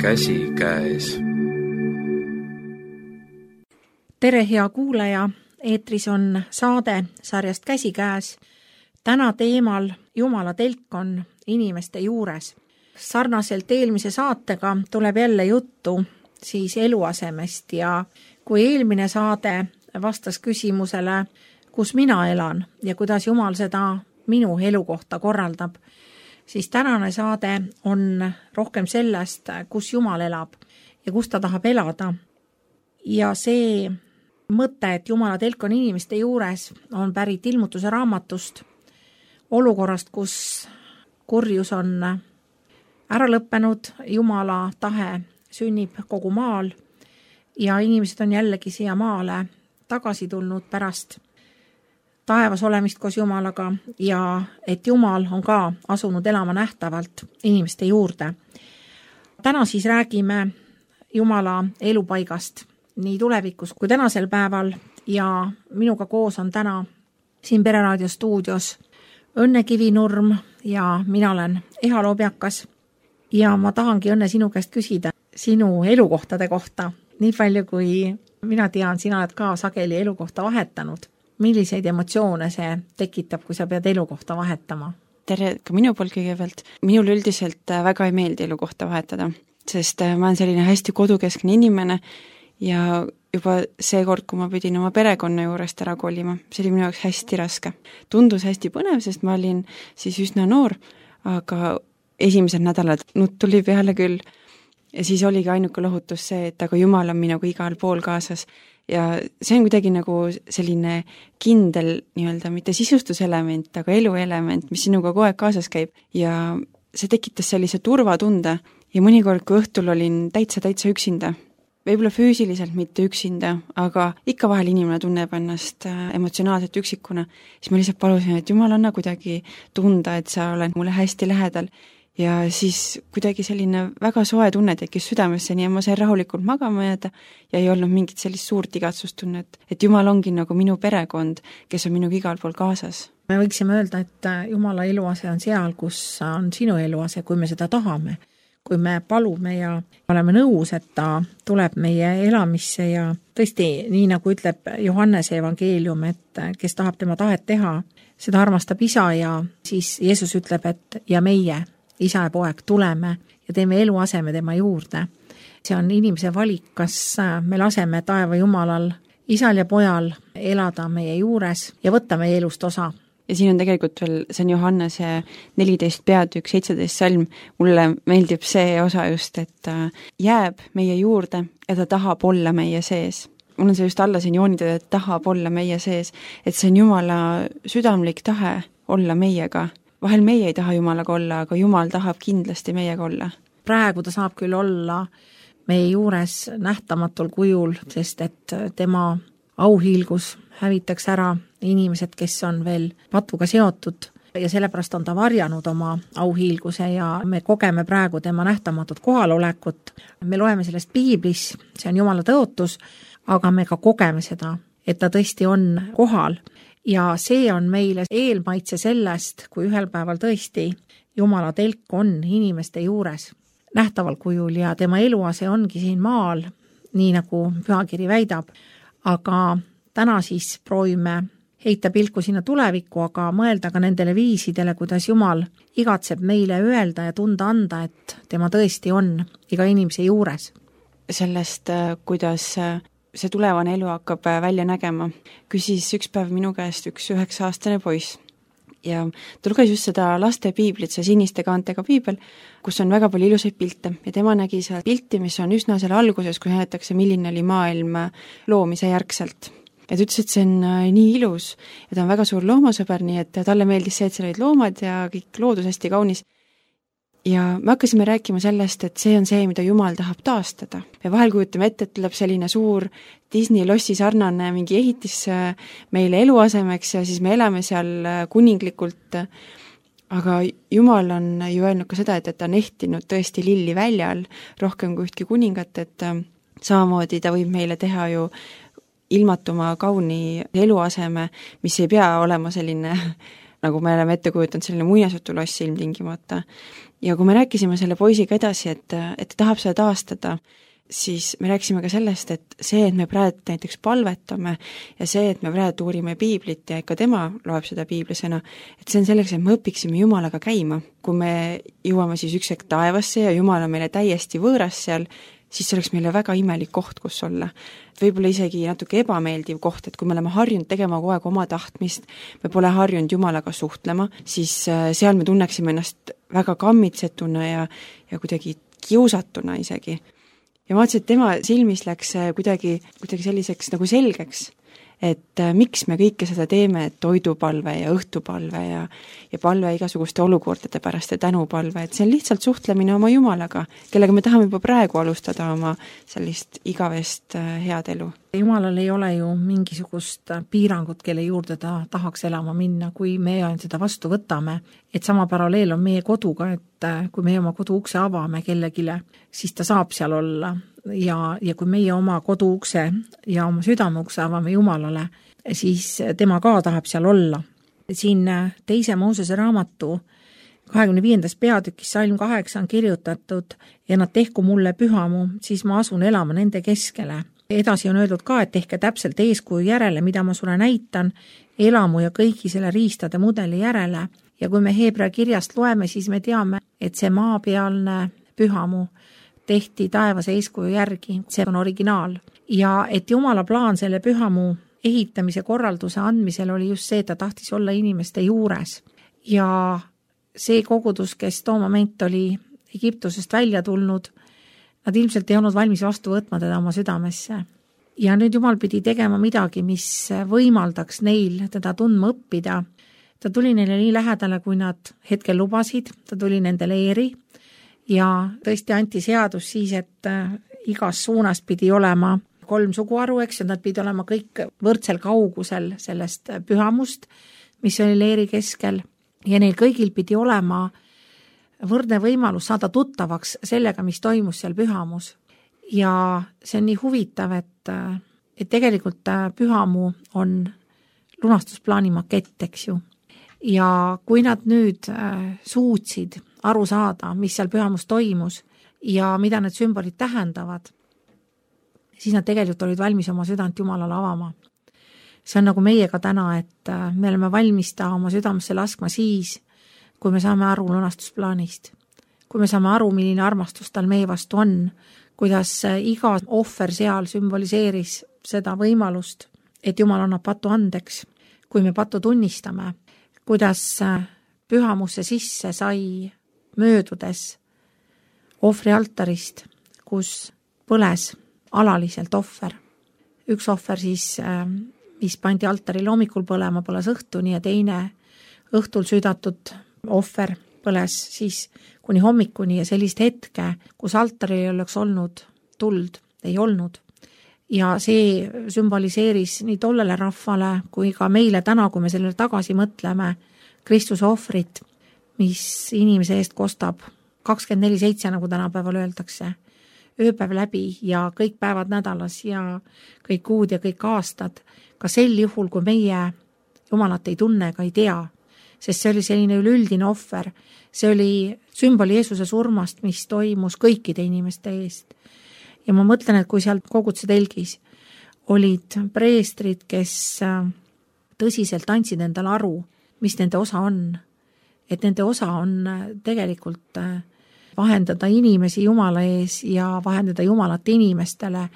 käsikäes. Tere, hea kuulaja! Eetris on saade sarjast Käsikäes. Täna teemal Jumala telk on inimeste juures. Sarnaselt eelmise saatega tuleb jälle juttu siis eluasemest ja kui eelmine saade vastas küsimusele, kus mina elan ja kuidas Jumal seda minu elukohta korraldab, siis tänane saade on rohkem sellest, kus Jumal elab ja kus ta tahab elada. Ja see mõte, et Jumala telk on inimeste juures, on pärit Ilmutuse raamatust, olukorrast, kus kurjus on ära lõppenud, Jumala tahe sünnib kogu maal ja inimesed on jällegi siia maale tagasi tulnud pärast taevas olemist koos Jumalaga ja et Jumal on ka asunud elama nähtavalt inimeste juurde. Täna siis räägime Jumala elupaigast nii tulevikus kui tänasel päeval ja minuga koos on täna siin Pereraadio stuudios Õnne Kivinurm ja mina olen Eha Lobjakas ja ma tahangi, Õnne, sinu käest küsida sinu elukohtade kohta. Nii palju kui mina tean, sina oled ka sageli elukohta vahetanud. Milliseid emotsioone see tekitab, kui sa pead elukohta vahetama? Tere ka minu poolt kõigepealt. Minul üldiselt väga ei meeldi elukohta vahetada, sest ma olen selline hästi kodukeskne inimene ja juba see kord, kui ma pidin oma perekonna juurest ära kolima, see oli minu jaoks hästi raske. Tundus hästi põnev, sest ma olin siis üsna noor, aga esimesed nädalad nutt tuli peale küll ja siis oligi ainuke lohutus see, et aga Jumal on minuga igal pool kaasas ja see on kuidagi nagu selline kindel nii-öelda mitte sisustuselement, aga eluelement, mis sinuga kogu aeg kaasas käib ja see tekitas sellise turvatunde ja mõnikord, kui õhtul olin täitsa üksinda, võib-olla füüsiliselt mitte üksinda, aga ikka vahel inimene tunneb ennast emotsionaalselt üksikuna, siis ma lihtsalt palusin, et Jumal, anna kuidagi tunda, et sa oled mulle hästi lähedal ja siis kuidagi selline väga soe tunne tekkis südamesse, nii ma sain rahulikult magama jääda ja ei olnud mingit sellist suurt igatsustunnet, et Jumal ongi nagu minu perekond, kes on minuga igal pool kaasas. Me võiksime öelda, et Jumala eluase on seal, kus on sinu eluase, kui me seda tahame. Kui me palume ja oleme nõus, et ta tuleb meie elamisse ja tõesti, nii nagu ütleb Johannese evangeelium, et kes tahab tema tahet teha, seda armastab isa ja siis Jeesus ütleb, et ja meie, isa ja poeg, tuleme ja teeme eluaseme tema juurde. See on inimese valik, kas me laseme taeva Jumalal, isal ja pojal elada meie juures ja võtta meie elust osa. Ja siin on tegelikult veel, see on Johannese 14 peatükk, 17 salm, mulle meeldib see osa just, et jääb meie juurde ja ta tahab olla meie sees. Mul on see just alla siin joonitud, et tahab olla meie sees, et see on Jumala südamlik tahe olla meiega. Vahel meie ei taha Jumalaga olla, aga Jumal tahab kindlasti meiega olla. Praegu ta saab küll olla meie juures nähtamatul kujul, sest et tema auhiilgus hävitaks ära inimesed, kes on veel patuga seotud ja sellepärast on ta varjanud oma auhiilguse ja me kogeme praegu tema nähtamatut kohalolekut. Me loeme sellest piiblis, see on Jumala tõotus, aga me ka kogeme seda, et ta tõesti on kohal ja see on meile eelmaitse sellest, kui ühel päeval tõesti Jumala telk on inimeste juures nähtaval kujul ja tema eluase ongi siin maal, nii nagu pühakiri väidab, aga täna siis proovime heita pilku sinna tulevikku, aga mõelda ka nendele viisidele, kuidas Jumal igatseb meile öelda ja tunda anda, et tema tõesti on iga inimese juures. Sellest, kuidas see tulevane elu hakkab välja nägema, küsis üks päev minu käest üks 9-aastane poiss. Ja ta luges just seda laste piiblit, see siniste kaantega piibel, kus on väga palju ilusaid pilte ja tema nägi seal pilti, mis on üsna selle alguses, kui näidatakse, milline oli maailm loomise järgselt. Ja ta ütles, et see on nii ilus ja ta on väga suur loomasõber, nii et talle meeldis see, et seal olid loomad ja kõik loodus hästi kaunis. Ja me hakkasime rääkima sellest, et see on see, mida Jumal tahab taastada. Ja vahel kujutame ette, et tuleb selline suur Disney lossi sarnane mingi ehitis meile eluasemeks ja siis me elame seal kuninglikult. Aga Jumal on ju öelnud ka seda, et ta on ehtinud tõesti lilli väljal rohkem kui ühtki kuningat, et samamoodi ta võib meile teha ju ilmatuma kauni eluaseme, mis ei pea olema selline nagu me oleme ette kujutanud, selline muinasjutuloss ilmtingimata. Ja kui me rääkisime selle poisiga edasi, et ta tahab seda taastada, siis me rääkisime ka sellest, et see, et me praegu näiteks palvetame ja see, et me praegu uurime piiblit ja ikka tema loeb seda piiblisena, et see on selleks, et me õpiksime Jumalaga käima. Kui me jõuame siis üks hetk taevasse ja Jumal on meile täiesti võõras seal, siis see oleks meile väga imelik koht, kus olla. Võib-olla isegi natuke ebameeldiv koht, et kui me oleme harjunud tegema kogu aeg oma tahtmist, me pole harjunud Jumalaga suhtlema, siis seal me tunneksime ennast väga kammitsetuna ja kuidagi kiusatuna isegi. Ja ma vaatasin, et tema silmis läks kuidagi selliseks nagu selgeks, et miks me kõike seda teeme, et toidupalve ja õhtupalve ja palve igasuguste olukordade pärast ja tänupalve, et see on lihtsalt suhtlemine oma Jumalaga, kellega me tahame juba praegu alustada oma sellist igavest head elu. Jumalal ei ole ju mingisugust piirangut, kelle juurde ta tahaks elama minna, kui me seda vastu võtame. Et sama paralleel on meie koduga, et kui me oma kodu ukse avame kellegile, siis ta saab seal olla. Ja kui meie oma kodu ukse ja oma südame ukse avame Jumalale, siis tema ka tahab seal olla. Siin 2. Moosese raamatu 25. peatükis salm 8 on kirjutatud ja nad tehku mulle pühamu, siis ma asun elama nende keskele. Edasi on öeldud ka, et tehke täpselt eeskuju järele, mida ma sulle näitan, elamu ja kõigi selle riistade mudeli järele. Ja kui me Heebrea kirjast loeme, siis me teame, et see maapealne pühamu tehti taevase eeskuju järgi, see on originaal. Ja et Jumala plaan selle pühamu ehitamise korralduse andmisel oli just see, et ta tahtis olla inimeste juures. Ja see kogudus, kes too moment oli Egiptusest välja tulnud, nad ilmselt ei olnud valmis vastu võtma teda oma südamesse. Ja nüüd Jumal pidi tegema midagi, mis võimaldaks neil teda tundma õppida. Ta tuli neile nii lähedale, kui nad hetkel lubasid, ta tuli nendele eeri ja tõesti anti seadus siis, et igas suunas pidi olema 3 suguharu, eks, ja nad pidi olema kõik võrdsel kaugusel sellest pühamust, mis oli leeri keskel ja neil kõigil pidi olema võrdne võimalus saada tuttavaks sellega, mis toimus seal pühamus. Ja see on nii huvitav, et tegelikult pühamu on lunastusplaani makett, eks ju. Ja kui nad nüüd suutsid aru saada, mis seal pühamus toimus ja mida need sümbolid tähendavad, siis nad tegelikult olid valmis oma südant Jumalale avama. See on nagu meiega täna, et me oleme valmis ta oma südamesse laskma siis, kui me saame aru lunastusplaanist, kui me saame aru, milline armastus tal meie vastu on, kuidas iga ohver seal sümboliseeris seda võimalust, et Jumal annab patu andeks, kui me patu tunnistame, kuidas pühamusse sisse sai möödudes ohvri altarist, kus põles alaliselt ohver. Üks ohver siis, mis pandi altaril hommikul põlema, põles õhtuni ja teine õhtul südatud ohver põles siis kuni hommikuni ja sellist hetke, kus altaril oleks olnud tuld, ei olnud. Ja see sümboliseeris nii tollele rahvale kui ka meile täna, kui me sellele tagasi mõtleme, Kristuse ohvrit, mis inimese eest kostab 24/7, nagu tänapäeval öeldakse, ööpäev läbi ja kõik päevad nädalas ja kõik kuud ja kõik aastad, ka sel juhul, kui meie Jumalat ei tunne ega ei tea, sest see oli selline üleüldine ohver, see oli sümboli Jeesuse surmast, mis toimus kõikide inimeste eest. Ja ma mõtlen, et kui seal koguduse telgis olid preestrid, kes tõsiselt andsid endale aru, mis nende osa on, et nende osa on tegelikult vahendada inimesi Jumala ees ja vahendada Jumalat inimestele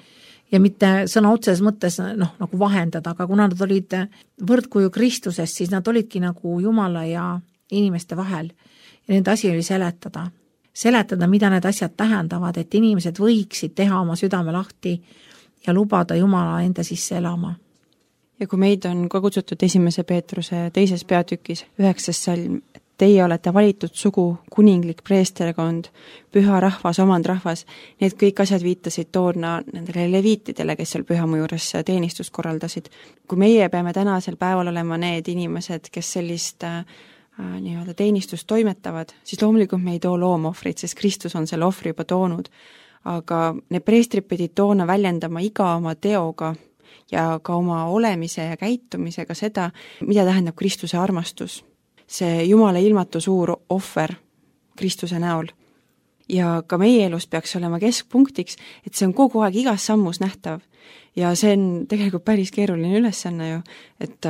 ja mitte sõna otseses mõttes nagu vahendada, aga kuna nad olid võrdkuju Kristusest, siis nad olidki nagu Jumala ja inimeste vahel ja nende asi oli seletada, mida need asjad tähendavad, et inimesed võiksid teha oma südame lahti ja lubada Jumala enda sisse elama. Ja kui meid on ka kutsutud 1. Peetruse 2. peatükis 9. salm, teie olete valitud sugu, kuninglik preesterkond, püha rahvas, omand rahvas, need kõik asjad viitasid toona nendele leviitidele, kes seal pühamu juures teenistust korraldasid. Kui meie peame tänasel päeval olema need inimesed, kes sellist nii-öelda teenistust toimetavad, siis loomulikult me ei too loomohvrit, sest Kristus on selle ohvri juba toonud. Aga need preestrid pidid toona väljendama iga oma teoga ja ka oma olemise ja käitumisega seda, mida tähendab Kristuse armastus. see Jumala ilmatu suur ohver Kristuse näol. Ja ka meie elus peaks olema keskpunktiks, et see on kogu aeg igas sammus nähtav. Ja see on tegelikult päris keeruline ülesanne ju, et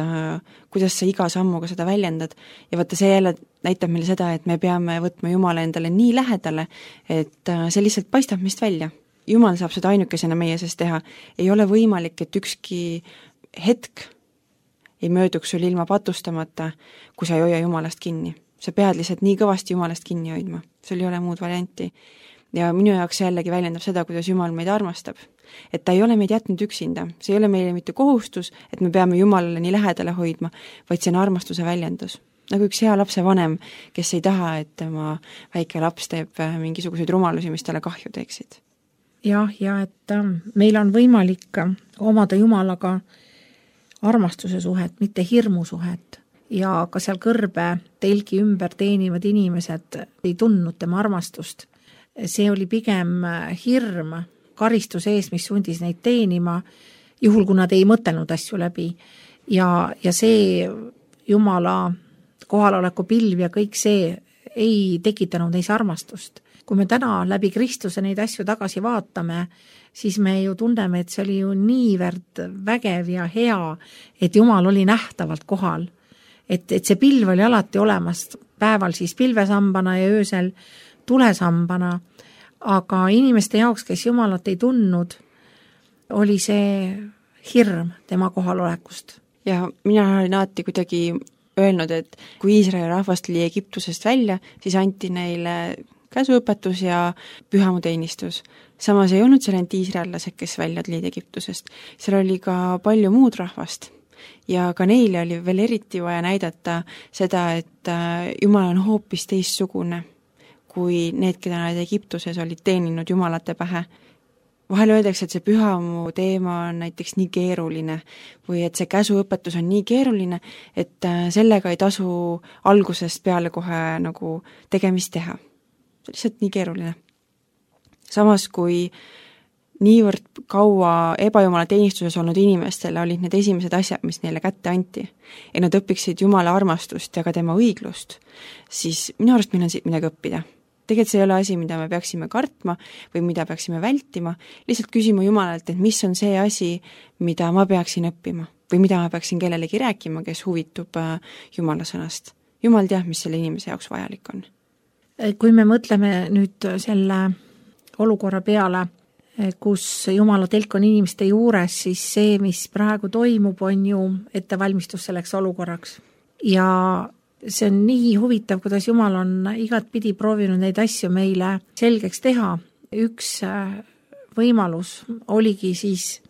kuidas sa iga sammuga seda väljendad. Ja vaata, see jälle näitab meile seda, et me peame võtma Jumala endale nii lähedale, et see lihtsalt paistab meist välja. Jumal saab seda ainukesena meie sees teha. Ei ole võimalik, et ükski hetk ei mööduks sul ilma patustamata, kui sa ei hoia Jumalast kinni. Sa pead lihtsalt nii kõvasti Jumalast kinni hoidma. Sul ei ole muud varianti. Ja minu jaoks jällegi väljendab seda, kuidas Jumal meid armastab. Et ta ei ole meid jätnud üksinda. See ei ole meile mitte kohustus, et me peame Jumalale nii lähedale hoidma, vaid see on armastuse väljendus. Nagu üks hea lapse vanem, kes ei taha, et tema väike laps teeb mingisuguseid rumalusi, mis talle kahju teeksid. Ja et meil on võimalik omada Jumalaga armastuse suhet, mitte hirmu suhet. Ja ka seal kõrbe telgi ümber teenivad inimesed ei tundnud tema armastust. See oli pigem hirm karistuse ees, mis sundis neid teenima, juhul kui nad ei mõtelnud asju läbi. Ja see Jumala kohaloleku pilv ja kõik see ei tekitanud neis armastust. Kui me täna läbi Kristuse neid asju tagasi vaatame, siis me ju tunneme, et see oli ju niivõrd vägev ja hea, et Jumal oli nähtavalt kohal. Et see pilv oli alati olemas, päeval siis pilvesambana ja öösel tulesambana, aga inimeste jaoks, kes Jumalat ei tundnud, oli see hirm tema kohalolekust. Ja mina olen alati kuidagi öelnud, et kui Iisraeli rahvast tuli Egiptusest välja, siis anti neile käsuõpetus ja pühamuteenistus. Samas ei olnud seal ainult iisraellased, kes välja tulid Egiptusest. Seal oli ka palju muud rahvast. Ja ka neile oli veel eriti vaja näidata seda, et Jumal on hoopis teistsugune, kui need, keda nad Egiptuses olid teeninud Jumalate pähe. Vahel öeldakse, et see pühamu teema on näiteks nii keeruline või et see käsuõpetus on nii keeruline, et sellega ei tasu algusest peale kohe nagu tegemist teha. See on lihtsalt nii keeruline. Samas, kui niivõrd kaua ebajumala teenistuses olnud inimestele olid need esimesed asjad, mis neile kätte anti, ja nad õpiksid Jumala armastust ja ka tema õiglust, siis minu arust meil on siit midagi õppida. Tegelikult see ei ole asi, mida me peaksime kartma või mida peaksime vältima, lihtsalt küsima Jumalalt, et mis on see asi, mida ma peaksin õppima või mida ma peaksin kellelegi rääkima, kes huvitub Jumala sõnast. Jumal teab, mis selle inimese jaoks vajalik on. Kui me mõtleme nüüd selle olukorra peale, kus Jumala telk on inimeste juures, siis see, mis praegu toimub, on ju ettevalmistus selleks olukorraks. Ja see on nii huvitav, kuidas Jumal on igatpidi proovinud neid asju meile selgeks teha. Üks võimalus oligi siis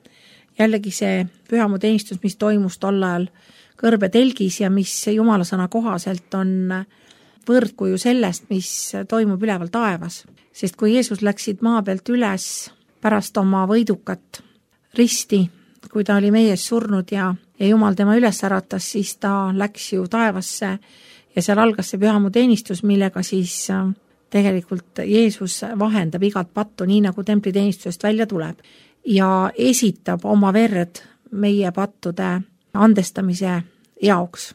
jällegi see pühamuteenistus, mis toimus tol ajal kõrbe telgis ja mis Jumala sõna kohaselt on võrdkuju sellest, mis toimub üleval taevas. Sest kui Jeesus läksid maa pealt üles pärast oma võidukat risti, kui ta oli meie ees surnud ja Jumal tema üles äratas, siis ta läks ju taevasse ja seal algas see pühamuteenistus, millega siis tegelikult Jeesus vahendab igat pattu, nii nagu templiteenistusest välja tuleb ja esitab oma verd meie pattude andestamise jaoks.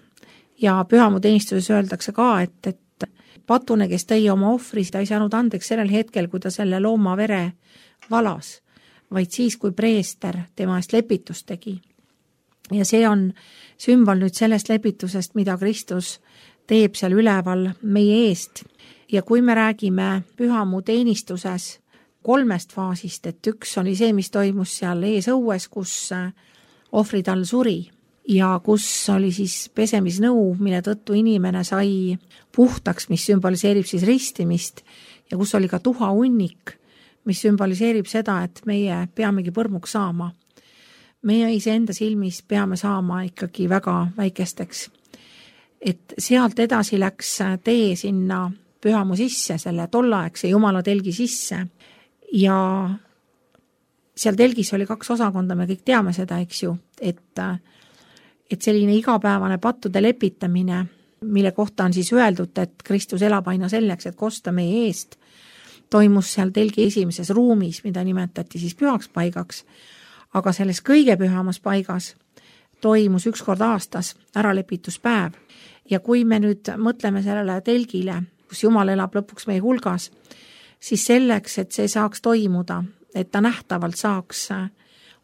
Ja pühamuteenistuses öeldakse ka, et patune, kes tõi oma ohvri, ta ei saanud andeks sellel hetkel, kui ta selle looma vere valas, vaid siis, kui preester tema eest lepitust tegi. Ja see on sümbol nüüd sellest lepitusest, mida Kristus teeb seal üleval meie eest. Ja kui me räägime pühamuteenistuses 3 faasist, et üks oli see, mis toimus seal ees õues, kus ohvrid all suri ja kus oli siis pesemisnõu, mille tõttu inimene sai puhtaks, mis sümboliseerib siis ristimist ja kus oli ka tuhahunnik, mis sümboliseerib seda, et meie peamegi põrmuks saama. Meie iseenda silmis peame saama ikkagi väga väikesteks. Et sealt edasi läks tee sinna pühamu sisse, selle tollaegse Jumala telgi sisse ja seal telgis oli 2 osakonda, me kõik teame seda, eks ju, et selline igapäevane pattude lepitamine, mille kohta on siis öeldud, et Kristus elab aina selleks, et kosta meie eest, toimus seal telgi esimeses ruumis, mida nimetati siis pühaks paigaks, aga selles kõige pühamas paigas toimus 1 kord aastas äralepituspäev Ja kui me nüüd mõtleme sellele telgile, kus Jumal elab lõpuks meie hulgas, siis selleks, et see saaks toimuda, et ta nähtavalt saaks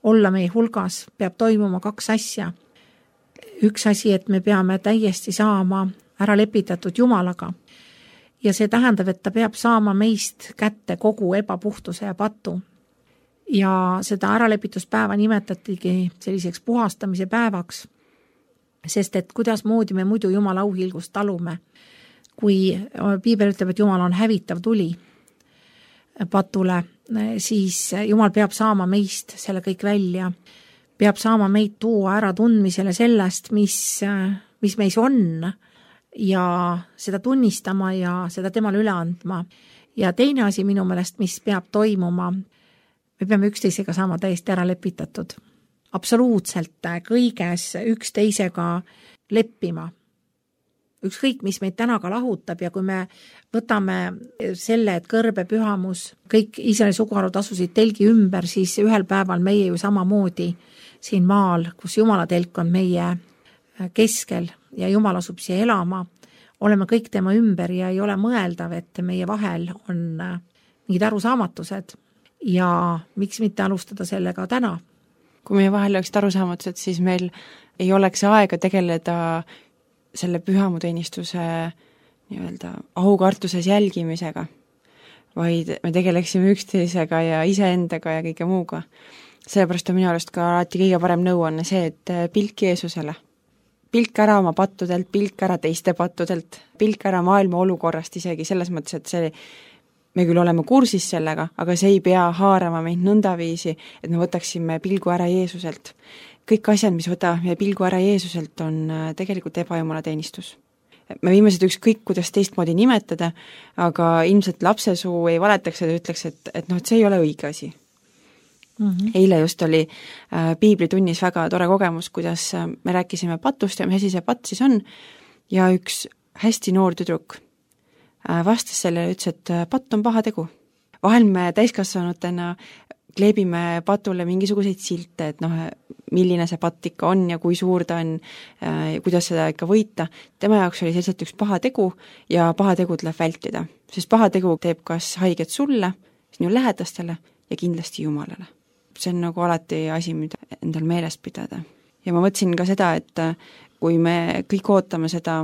olla meie hulgas, peab toimuma 2 asja. Üks asi, et me peame täiesti saama ära lepitatud Jumalaga. Ja see tähendab, et ta peab saama meist kätte kogu ebapuhtuse ja patu. Ja seda äralepituspäeva nimetatigi selliseks puhastamise päevaks, sest et kuidas moodi me muidu Jumala auhilgust talume, kui Piibel ütleb, et Jumal on hävitav tuli patule, siis Jumal peab saama meist selle kõik välja, peab saama meid tuua ära tundmisele sellest, mis meis on ja seda tunnistama ja seda temale üle andma. Ja teine asi minu meelest, mis peab toimuma, me peame üksteisega saama täiesti ära lepitatud. Absoluutselt kõiges üksteisega leppima. Ükskõik, mis meid täna ka lahutab ja kui me võtame selle, et kõrbe pühamus, kõik Iisraeli suguharud asusid telgi ümber, siis ühel päeval meie ju samamoodi siin maal, kus Jumala telk on meie keskel ja Jumal asub siia elama, oleme kõik tema ümber ja ei ole mõeldav, et meie vahel on mingid arusaamatused ja miks mitte alustada sellega täna. Kui meie vahel oleks arusaamatused, siis meil ei oleks aega tegeleda selle pühamuteenistuse nii-öelda aukartuses jälgimisega, vaid me tegeleksime üksteisega ja iseendaga ja kõige muuga. Sellepärast on minu arust ka alati kõige parem nõuanne see, et pilk Jeesusele. Pilk ära oma pattudelt, pilk ära teiste pattudelt, pilk ära maailma olukorrast isegi selles mõttes, et see me küll oleme kursis sellega, aga see ei pea haarama meid nõndaviisi, et me võtaksime pilgu ära Jeesuselt. Kõik asjad, mis võtavad meie pilgu ära Jeesuselt, on tegelikult ebajumala teenistus. Me viime seda ükskõik, kuidas teistmoodi nimetada, aga ilmselt lapsesuu ei valetaks ja ütleks, et see ei ole õige asi. Eile just oli piiblitunnis väga tore kogemus, kuidas me rääkisime patust ja mis asi see patt siis on, ja üks hästi noor tüdruk vastas selle ja ütles, et patt on paha tegu. Vahel me täiskasvanutena kleebime patule mingisuguseid silte, et milline see patt ikka on ja kui suur ta on, kuidas seda ikka võita. Tema jaoks oli selliselt üks paha tegu ja paha tegu tuleb vältida, sest paha tegu teeb kas haiget sulle, sinu lähedastele ja kindlasti Jumalale. See on nagu alati asi, mida endal meelest pidada. Ja ma mõtlesin ka seda, et kui me kõik ootame seda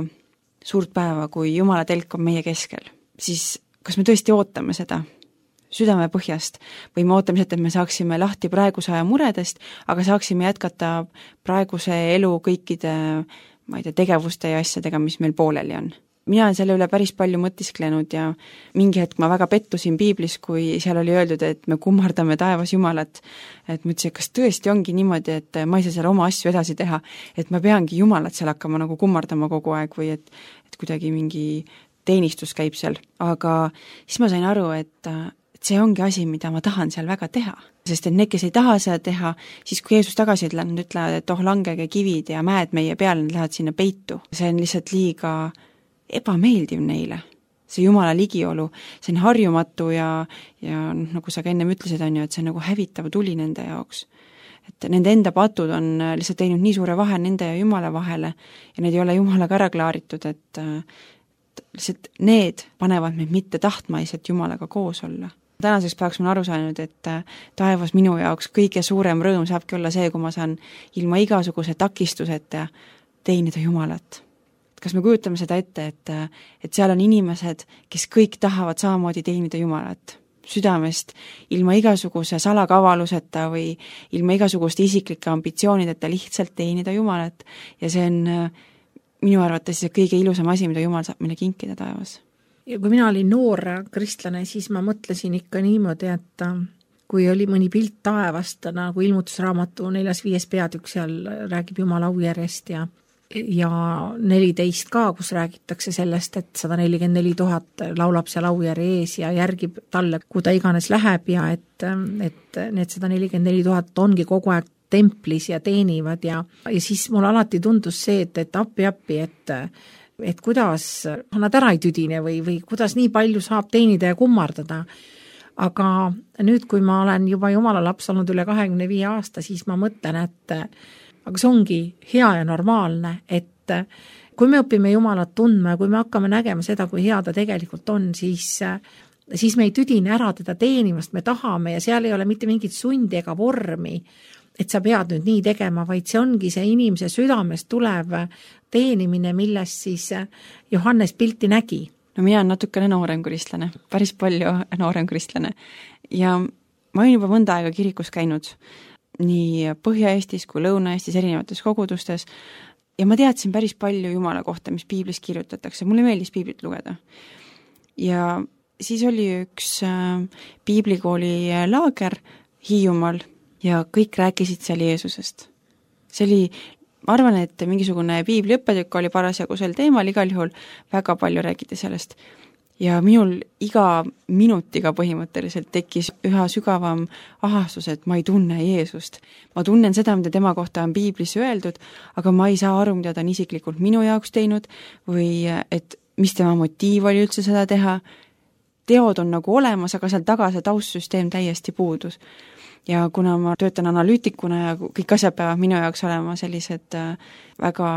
suurt päeva, kui Jumala telk on meie keskel, siis kas me tõesti ootame seda südame põhjast või me ootame seda, et me saaksime lahti praeguse aja muredest, aga saaksime jätkata praeguse elu kõikide tegevuste ja asjadega, mis meil pooleli on. Mina olen selle üle päris palju mõtisklenud ja mingi hetk ma väga pettusin piiblis, kui seal oli öeldud, et me kummardame taevas Jumalat. Et mõtlesin, kas tõesti ongi niimoodi, et ma ei saa seal oma asju edasi teha, et ma peangi Jumalat seal hakkama nagu kummardama kogu aeg või et kuidagi mingi teenistus käib seal. Aga siis ma sain aru, et see ongi asi, mida ma tahan seal väga teha. Sest et need, kes ei taha seda teha, siis kui Jeesus tagasi nad ütlevad, et langege kivid ja mäed meie peale, nad lähevad sinna peitu. See on lihtsalt liiga ebameeldiv neile. See Jumala ligiolu, see on harjumatu ja nagu sa ka ennem ütlesid, on ju, et see on nagu hävitav tuli nende jaoks. Et nende enda patud on lihtsalt teinud nii suure vahe nende ja Jumala vahele ja need ei ole Jumalaga ära klaaritud, et lihtsalt need panevad meid mitte tahtma lihtsalt Jumalaga koos olla. Tänaseks päevaks ma aru saanud, et taevas minu jaoks kõige suurem rõõm saabki olla see, kui ma saan ilma igasuguse takistuseta teenida Jumalat. Kas me kujutame seda ette, et seal on inimesed, kes kõik tahavad samamoodi teenida Jumalat südamest, ilma igasuguse salakavaluseta või ilma igasuguste isiklike ambitsioonideta lihtsalt teenida Jumalat ja see on minu arvates kõige ilusam asi, mida Jumal saab meile kinkida taevas. Ja kui mina olin noor kristlane, siis ma mõtlesin ikka niimoodi, et kui oli mõni pilt taevast, nagu ilmutusraamatu 4.5. peatükk, seal räägib Jumala aujärjest ja 14 ka, kus räägitakse sellest, et 144 000 laulab seal aujärje ees ja järgib talle, kui ta iganes läheb ja et need 144 000 ongi kogu aeg templis ja teenivad ja siis mul alati tundus see, et appi, et kuidas nad ära ei tüdine või kuidas nii palju saab teenida ja kummardada. Aga nüüd, kui ma olen juba Jumala laps olnud üle 25 aasta, siis ma mõtlen, et aga see ongi hea ja normaalne, et kui me õpime Jumalat tundma ja kui me hakkame nägema seda, kui hea ta tegelikult on, siis me ei tüdine ära teda teenimast, me tahame ja seal ei ole mitte mingit sundi ega vormi, et sa pead nüüd nii tegema, vaid see ongi see inimese südamest tulev teenimine, millest siis Johannes pilti nägi. No mina olen natukene noorem kristlane, päris palju noorem kristlane ja ma olen juba mõnda aega kirikus käinud nii Põhja-Eestis kui Lõuna-Eestis erinevates kogudustes ja ma teadsin päris palju Jumala kohta, mis piiblis kirjutatakse. Mulle meeldis piiblit lugeda. Ja siis oli üks piiblikooli laager Hiiumaal ja kõik rääkisid seal Jeesusest. See oli, ma arvan, et mingisugune piibliõppetükk oli parasjagu sel teemal, igal juhul väga palju räägiti sellest. Ja minul iga minutiga põhimõtteliselt tekkis üha sügavam ahastus, et ma ei tunne Jeesust. Ma tunnen seda, mida tema kohta on piiblis öeldud, aga ma ei saa aru, mida ta on isiklikult minu jaoks teinud või et mis tema motiiv oli üldse seda teha. Teod on nagu olemas, aga seal taga see taustsüsteem täiesti puudus. Ja kuna ma töötan analüütikuna ja kõik asjad peavad minu jaoks olema sellised väga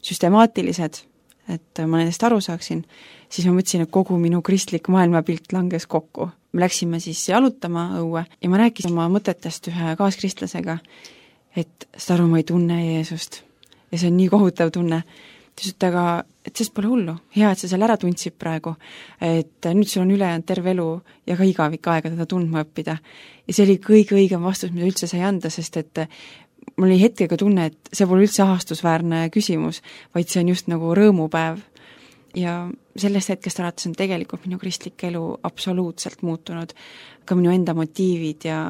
süstemaatilised, et ma nendest aru saaksin, siis ma mõtlesin, et kogu minu kristlik maailmapilt langes kokku. Me läksime siis jalutama õue ja ma rääkisin oma mõtetest ühe kaaskristlasega, et seda aru ma ei tunne Jeesust. Ja see on nii kohutav tunne. Tõsut, aga et sest pole hullu. Hea, et sa seal ära tundsid praegu. Et nüüd sul on ülejäänud terve elu ja ka igavik aega teda tundma õppida. Ja see oli kõige õigem vastus, mida üldse sai anda, sest et mul oli hetkega tunne, et see pole üldse ahastusväärne küsimus, vaid see on just nagu rõõmupäev. Ja sellest hetkest alates on tegelikult minu kristlik elu absoluutselt muutunud. Ka minu enda motiivid ja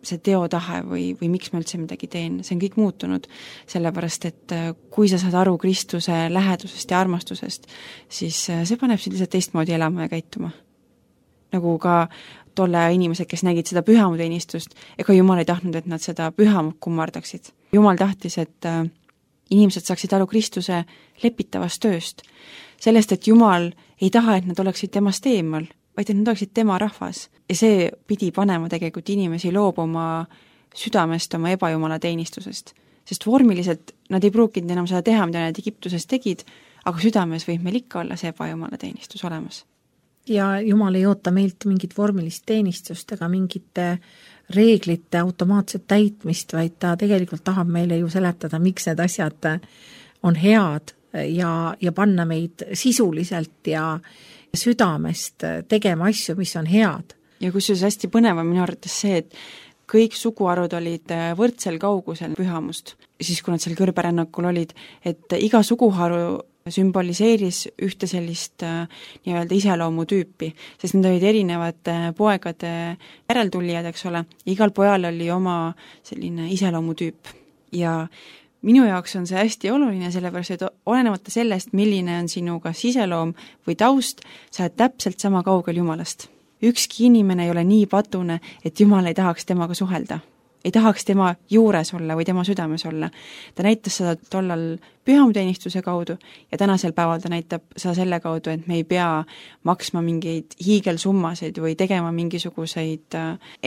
see teotahe või miks ma üldse midagi teen, see on kõik muutunud. Sellepärast, et kui sa saad aru Kristuse lähedusest ja armastusest, siis see paneb sind lihtsalt teistmoodi elama ja käituma. Nagu ka tolle inimesed, kes nägid seda pühamuteenistust, ega Jumal ei tahtnud, et nad seda pühamut kummardaksid. Jumal tahtis, et inimesed saaksid aru Kristuse lepitavast tööst. Sellest, et Jumal ei taha, et nad oleksid temast eemal, vaid et nad oleksid tema rahvas. Ja see pidi panema tegelikult inimesi loobuma südamest oma ebajumala teenistusest. Sest vormiliselt nad ei pruukinud enam seda teha, mida nad Egiptuses tegid, aga südames võib meil ikka olla see ebajumala teenistus olemas. Ja Jumal ei oota meilt mingit vormilist teenistust ega mingite reeglite automaatset täitmist, vaid ta tegelikult tahab meile ju seletada, miks need asjad on head ja panna meid sisuliselt ja südamest tegema asju, mis on head. Ja kusjuures hästi põnev on minu arvates see, et kõik suguharud olid võrdsel kaugusel pühamust, siis kui nad seal kõrberännakul olid, et iga suguharu sümboliseeris ühte sellist nii-öelda iseloomutüüpi, sest need olid erinevate poegade järeltulijad, eks ole, igal pojal oli oma selline iseloomutüüp ja minu jaoks on see hästi oluline, sellepärast, et olenemata sellest, milline on sinu kas iseloom või taust, sa oled täpselt sama kaugel Jumalast. Ükski inimene ei ole nii patune, et Jumal ei tahaks temaga suhelda. Ei tahaks tema juures olla või tema südames olla. Ta näitas seda tollal pühamuteenistuse kaudu ja tänasel päeval ta näitab seda selle kaudu, et me ei pea maksma mingeid hiigelsummasid või tegema mingisuguseid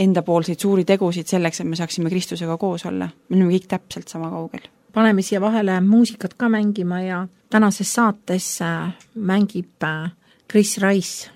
endapoolseid suuri tegusid selleks, et me saaksime Kristusega koos olla. Me oleme kõik täpselt sama kaugel. Paneme siia vahele muusikat ka mängima ja tänases saates mängib Chris Rice.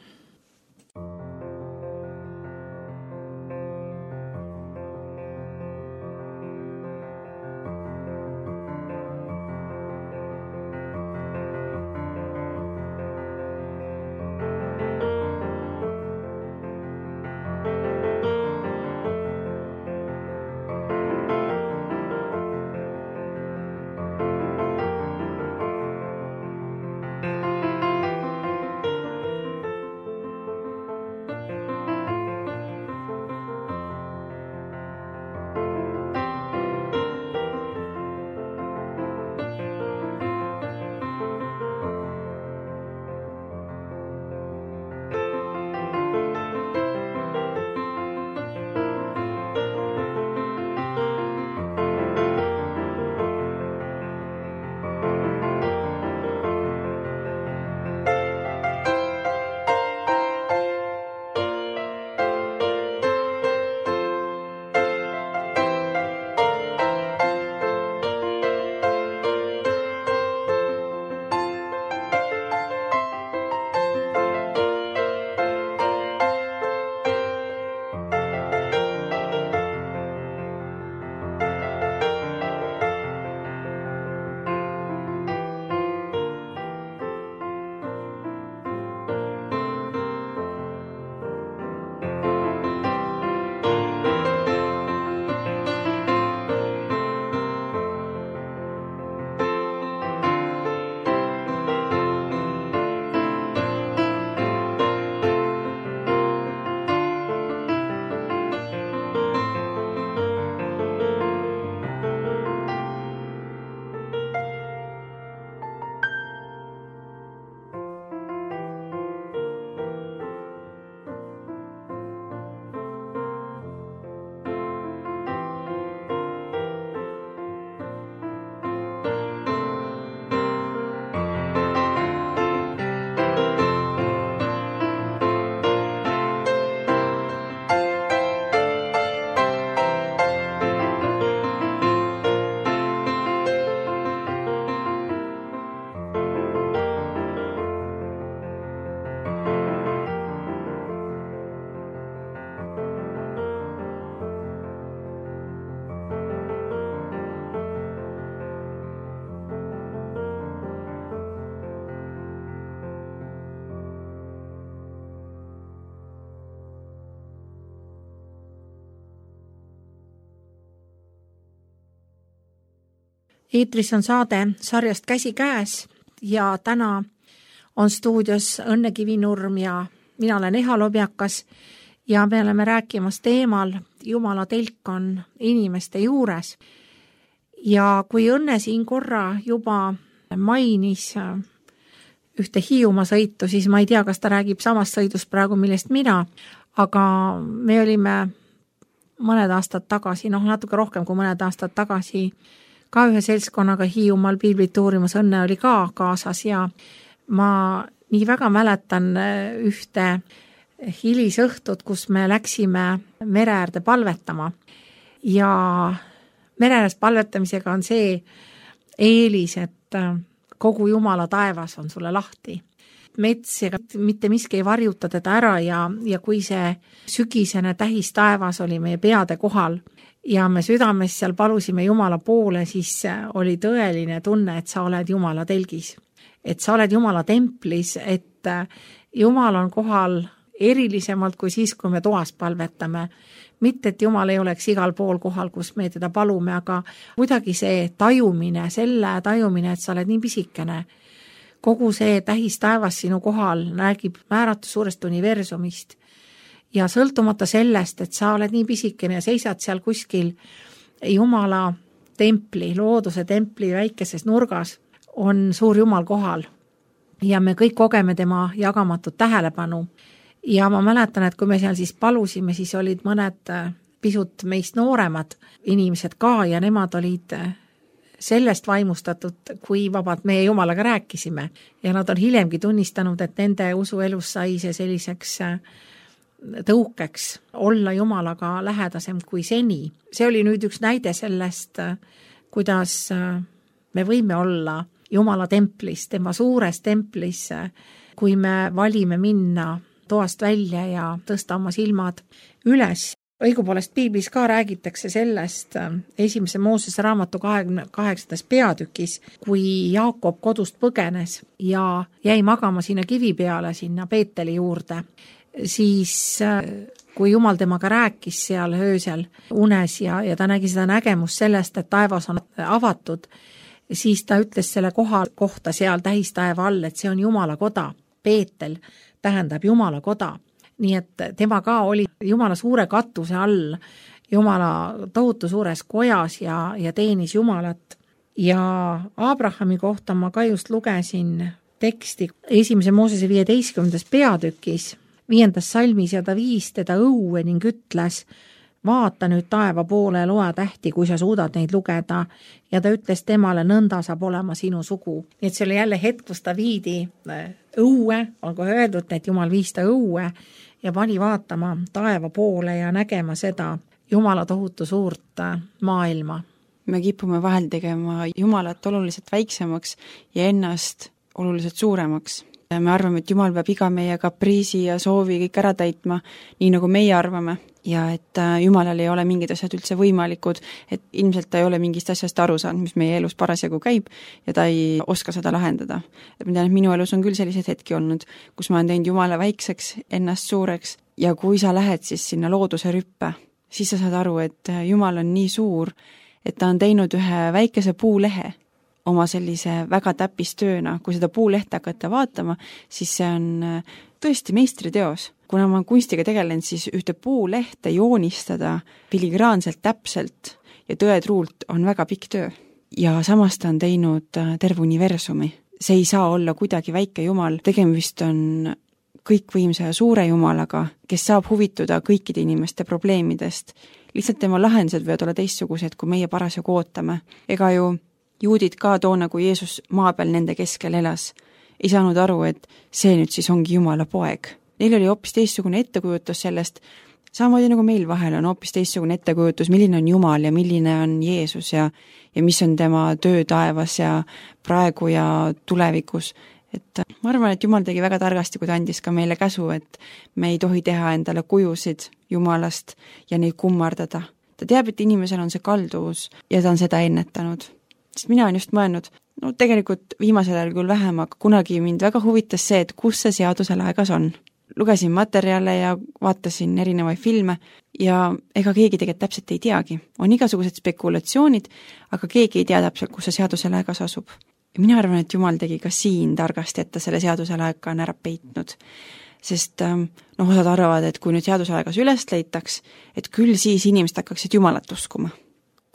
Eetris on saade sarjast Käsi käes ja täna on stuudios Õnne Kivinurm ja mina olen Eha Lobjakas ja me oleme rääkimas teemal Jumala telk on inimeste juures. Ja kui Õnne siin korra juba mainis ühte Hiiumaa sõitu, siis ma ei tea, kas ta räägib samast sõidust praegu, millest mina, aga me olime mõned aastad tagasi, natuke rohkem kui mõned aastad tagasi, ka ühe seltskonnaga Hiiumaal piiblit uurimas, Õnne oli ka kaasas ja ma nii väga mäletan ühte hilisõhtut, kus me läksime mere äärde palvetama ja mere ääres palvetamisega on see eelis, et kogu Jumala taevas on sulle lahti. Mets ja mitte miski ei varjuta teda ära ja kui see sügisene tähis taevas oli meie peade kohal ja me südames seal palusime Jumala poole, siis oli tõeline tunne, et sa oled Jumala telgis. Et sa oled Jumala templis, et Jumal on kohal erilisemalt kui siis, kui me toas palvetame. Mitte, et Jumal ei oleks igal pool kohal, kus me teda palume, aga kuidagi see tajumine, et sa oled nii pisikene, kogu see tähis taevas sinu kohal räägib määratu suurest universumist ja sõltumata sellest, et sa oled nii pisikene ja seisad seal kuskil Jumala templi, looduse templi väikeses nurgas, on suur Jumal kohal ja me kõik kogeme tema jagamatut tähelepanu. Ja ma mäletan, et kui me seal siis palusime, siis olid mõned pisut meist nooremad inimesed ka ja nemad olid sellest vaimustatud, kui vabalt meie Jumalaga rääkisime. Ja nad on hiljemgi tunnistanud, et nende usuelus sai see selliseks tõukeks olla Jumalaga lähedasem kui seni. See oli nüüd üks näide sellest, kuidas me võime olla Jumala templis, tema suures templis, kui me valime minna toast välja ja tõsta oma silmad üles. Õigupoolest piiblis ka räägitakse sellest 1. Moosese raamatu 28. peatükis, kui Jaakob kodust põgenes ja jäi magama sinna kivi peale, sinna Peeteli juurde, siis kui Jumal temaga rääkis seal öösel unes ja ta nägi seda nägemust sellest, et taevas on avatud, siis ta ütles selle kohta seal tähistaeva all, et see on Jumala koda, Peetel tähendab Jumala koda. Nii et tema ka oli Jumala suure katuse all, Jumala tohutu suures kojas ja teenis Jumalat. Ja Abrahami kohta ma ka just lugesin teksti 1. Moosese 15. peatükis, 5. salmis ja ta viis teda õue ning ütles, vaata nüüd taeva poole ja loe tähti, kui sa suudad neid lugeda. Ja ta ütles temale, nõnda saab olema sinu sugu. Nii et see oli jälle hetk, kus ta viidi õue, on kohe öeldud, et Jumal viis ta õue ja pani vaatama taeva poole ja nägema seda Jumala tohutu suurt maailma. Me kipume vahel tegema Jumalat oluliselt väiksemaks ja ennast oluliselt suuremaks. Me arvame, et Jumal peab iga meie kapriisi ja soovi kõik ära täitma, nii nagu meie arvame, ja et Jumalal ei ole mingid asjad üldse võimalikud, et ilmselt ta ei ole mingist asjast aru saanud, mis meie elus parasjagu käib, ja ta ei oska seda lahendada. Et ma tean, et minu elus on küll sellised hetki olnud, kus ma olen teinud Jumala väikseks, ennast suureks, ja kui sa lähed siis sinna looduse rüppe, siis sa saad aru, et Jumal on nii suur, et ta on teinud ühe väikese puulehe oma sellise väga täppistööna. Kui seda puulehte hakata vaatama, siis see on tõesti meistriteos. Kuna ma kunstiga tegelen, siis ühte puulehte joonistada filigraanselt täpselt ja tõetruult on väga pikk töö. Ja samas ta on teinud terve universumi. See ei saa olla kuidagi väike Jumal. Tegemist on kõikvõimsa ja suure Jumalaga, kes saab huvituda kõikide inimeste probleemidest. Lihtsalt tema lahendused võivad olla teistsugused, kui meie parasjagu ootame. Ega ju juudid ka toona, kui Jeesus maa peal nende keskel elas, ei saanud aru, et see nüüd siis ongi Jumala poeg. Neil oli hoopis teistsugune ettekujutus sellest, samamoodi nagu meil vahel on hoopis teistsugune ettekujutus, milline on Jumal ja milline on Jeesus ja mis on tema töö taevas ja praegu ja tulevikus. Et ma arvan, et Jumal tegi väga targasti, kui ta andis ka meile käsu, et me ei tohi teha endale kujusid Jumalast ja neid kummardada. Ta teab, et inimesel on see kalduvus ja ta on seda ennetanud. Sest mina olen just mõelnud, tegelikult viimasel ajal küll vähem, aga kunagi mind väga huvitas see, et kus see seaduse laegas on. lugesin materjale ja vaatasin erinevaid filme ja ega keegi tegelikult täpselt ei teagi. On igasugused spekulatsioonid, aga keegi ei tea täpselt, kus see seaduselaegas asub. Ja mina arvan, et Jumal tegi ka siin targasti, et ta selle seaduselaega on ära peitnud. Sest osad arvavad, et kui nüüd seaduselaegas üles leitaks, et küll siis inimesed hakkaksid Jumalat uskuma.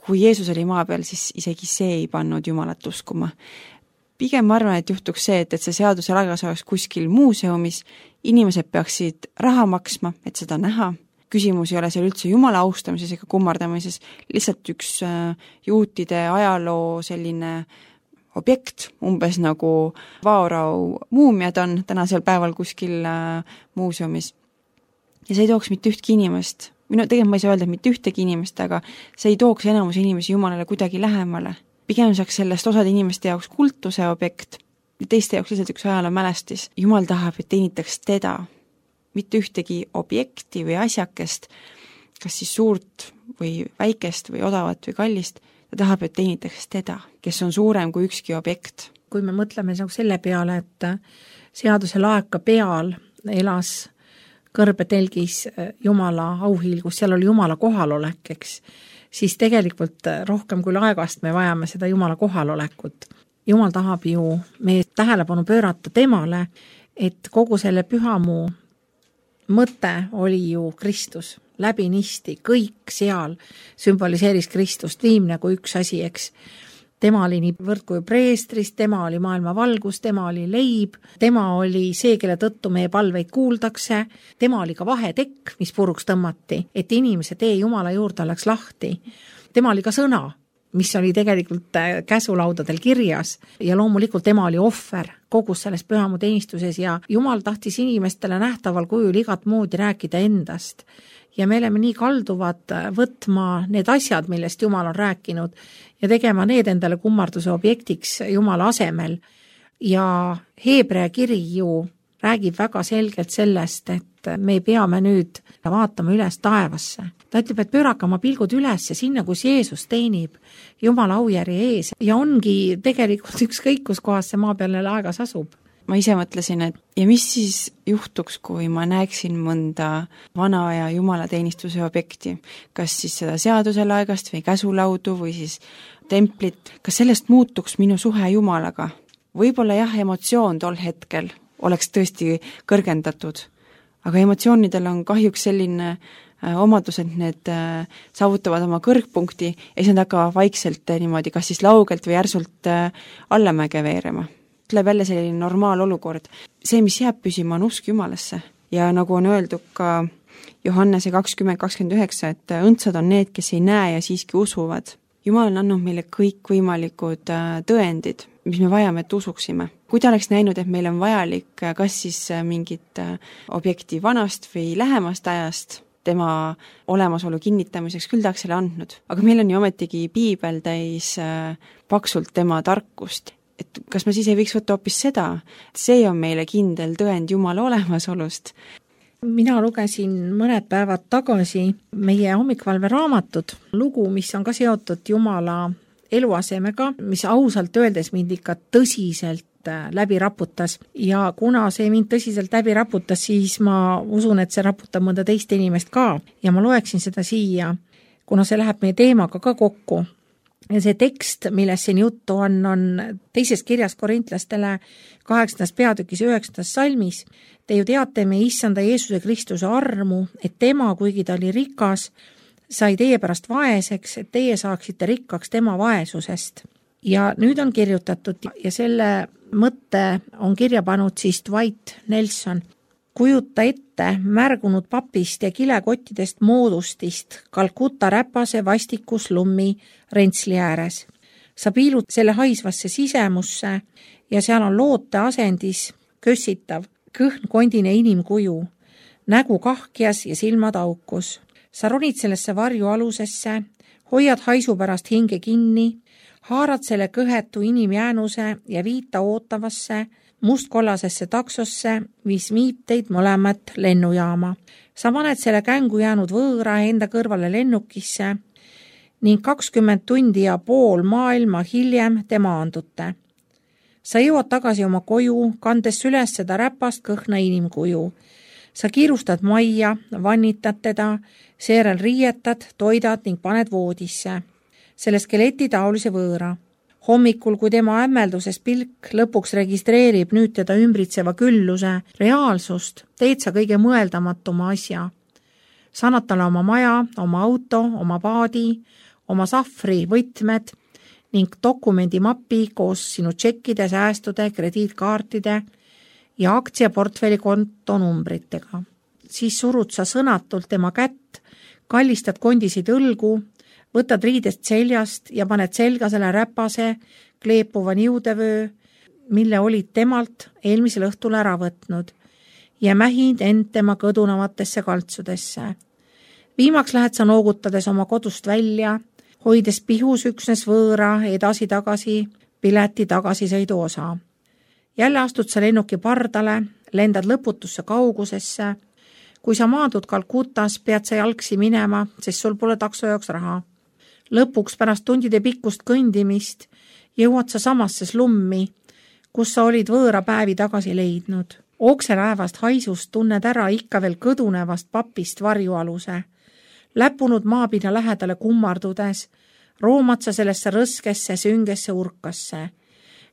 Kui Jeesus oli maa peal, siis isegi see ei pannud Jumalat uskuma. Pigem ma arvan, et juhtuks see, et see seaduselaegas oleks kuskil muuseumis, inimesed peaksid raha maksma, et seda näha. Küsimus ei ole seal üldse Jumala austamises ega kummardamises, lihtsalt üks juutide ajaloo selline objekt, umbes nagu Vaorau muumiad on tänasel päeval kuskil muuseumis. Ja see ei tooks mitte ühtki inimest. Tegelikult ma ei saa öelda, et mitte ühtegi inimest, aga see ei tooks enamus inimesi Jumalale kuidagi lähemale. Pigem saaks sellest osade inimeste jaoks kultuse objekt ja teiste jaoks lihtsalt üks ajaloo mälestis. Jumal tahab, et teenitaks teda, mitte ühtegi objekti või asjakest, kas siis suurt või väikest või odavat või kallist. Ta tahab, et teenitaks teda, kes on suurem kui ükski objekt. Kui me mõtleme selle peale, et seaduse laeka peal elas kõrbetelgis Jumala auhiilgus, seal oli Jumala kohalolek, eks, siis tegelikult rohkem kui laegast me vajame seda Jumala kohalolekut. Jumal tahab ju meie tähelepanu pöörata temale, et kogu selle pühamuu mõte oli ju Kristus, läbinisti, kõik seal sümboliseeris Kristust, viimne kui üks asi, eks. Tema oli nii võrdkuju preestrist, tema oli maailma valgus, tema oli leib, tema oli see, kelle tõttu meie palveid kuuldakse, tema oli ka vahetekk, mis puruks tõmmati, et inimese tee Jumala juurde oleks lahti. Tema oli ka sõna, mis oli tegelikult käsulaudadel kirjas ja loomulikult tema oli ohver kogus selles pühamu teenistuses ja Jumal tahtis inimestele nähtaval kujul igat moodi rääkida endast. Ja me oleme nii kalduvad võtma need asjad, millest Jumal on rääkinud ja tegema need endale kummarduse objektiks Jumala asemel. Ja Heebrea kiri ju räägib väga selgelt sellest, et me peame nüüd vaatama üles taevasse. Ta ütleb, et pöörake oma pilgud üles sinna, kus Jeesus teenib Jumala aujärje ees ja ongi tegelikult ükskõik, kus kohas see maa peale aegas asub. Ma ise mõtlesin, et ja mis siis juhtuks, kui ma näeksin mõnda vana aja jumalateenistuse objekti, kas siis seda seaduselaegast või käsulaudu või siis templit, kas sellest muutuks minu suhe Jumalaga? Võib-olla jah, emotsioon tol hetkel oleks tõesti kõrgendatud, aga emotsioonidel on kahjuks selline omadus, et need saavutavad oma kõrgpunkti ja siis nad hakkavad vaikselt niimoodi, kas siis laugelt või järsult allamäge veerema. Tuleb jälle selline normaalolukord. See, mis jääb püsima, on usk Jumalasse. Ja nagu on öeldud ka Johannese 20:29, et õndsad on need, kes ei näe ja siiski usuvad. Jumal on andnud meile kõik võimalikud tõendid, mis me vajame, et usuksime. Kui ta oleks näinud, et meil on vajalik kas siis mingit objekti vanast või lähemast ajast, tema olemasolu kinnitamiseks, küll tahaks selle andnud. Aga meil on ju ometigi piibel täis paksult tema tarkust. Et kas me siis ei võiks võtta hoopis seda? See on meile kindel tõend Jumala olemasolust. Mina lugesin mõned päevad tagasi meie hommikvalve raamatut, lugu, mis on ka seotud Jumala eluasemega, mis ausalt öeldes mind ikka tõsiselt läbi raputas ja kuna see mind tõsiselt läbi raputas, siis ma usun, et see raputab mõnda teist inimest ka ja ma loeksin seda siia, kuna see läheb meie teemaga ka kokku. Ja see tekst, millest siin juttu on teises kirjas korintlastele 8. peatükis 9. salmis. Te ju teate meie issanda Jeesuse Kristuse armu, et tema, kuigi ta oli rikas, sai teie pärast vaeseks, et teie saaksite rikkaks tema vaesusest. Ja nüüd on kirjutatud ja selle mõtte on kirja pannud siis Dwight Nelson. Kujuta ette märgunud papist ja kilekottidest moodustist Kalkuta räpase vastikus lummi rentsli ääres. Sa piilud selle haisvasse sisemusse ja seal on loote asendis kössitav, kõhn kondine inimkuju, nägu kahkjas ja silmad aukus. Sa ronid sellesse varju alusesse, hoiad haisu pärast hinge kinni, haarad selle kõhetu inimjäänuse ja viita ootavasse, mustkollasesse taksosse, mis viib teid mõlemat lennujaama. Sa paned selle kängu jäänud võõra enda kõrvale lennukisse ning 20 tundi ja pool maailma hiljem te maandute. Sa jõuad tagasi oma koju, kandes üles seda räpast kõhna inimkuju. sa kiirustad majja, vannitad teda, seejärel riietad, toidad ning paned voodisse, selle skeleti taolise võõra. Hommikul, kui tema hämmelduses pilk lõpuks registreerib nüüd teda ümbritseva külluse reaalsust, teed sa kõige mõeldamatuma asja. Sa annad talle oma maja, oma auto, oma paadi, oma sahvri võtmed ning dokumendimapi koos sinu tšekkide, säästude, krediitkaartide ja aktsiaportfelli kontonumbritega. Siis surud sa sõnatult tema kätt, kallistad kondisid õlgu, võtad riidest seljast ja paned selga selle räpase, kleepuva niudevöö, mille olid temalt eelmisel õhtul ära võtnud ja mähid end tema kõdunevatesse kaltsudesse. Viimaks lähed sa noogutades oma kodust välja, hoides pihus üksnes võõra edasi-tagasi pileti tagasisõidu osa. Jälle astud sa lennuki pardale, lendad lõputusse kaugusesse. Kui sa maadud Kalkutas, pead sa jalgsi minema, sest sul pole takso jaoks raha. Lõpuks pärast tundide pikkust kõndimist jõuad sa samasse slummi, kus sa olid võõra päevi tagasi leidnud. Okselaevast haisust tunned ära ikka veel kõdunevast papist varjualuse. Läpunud maapinna lähedale kummardudes, roomad sa sellesse rõskesse, süngesse urkasse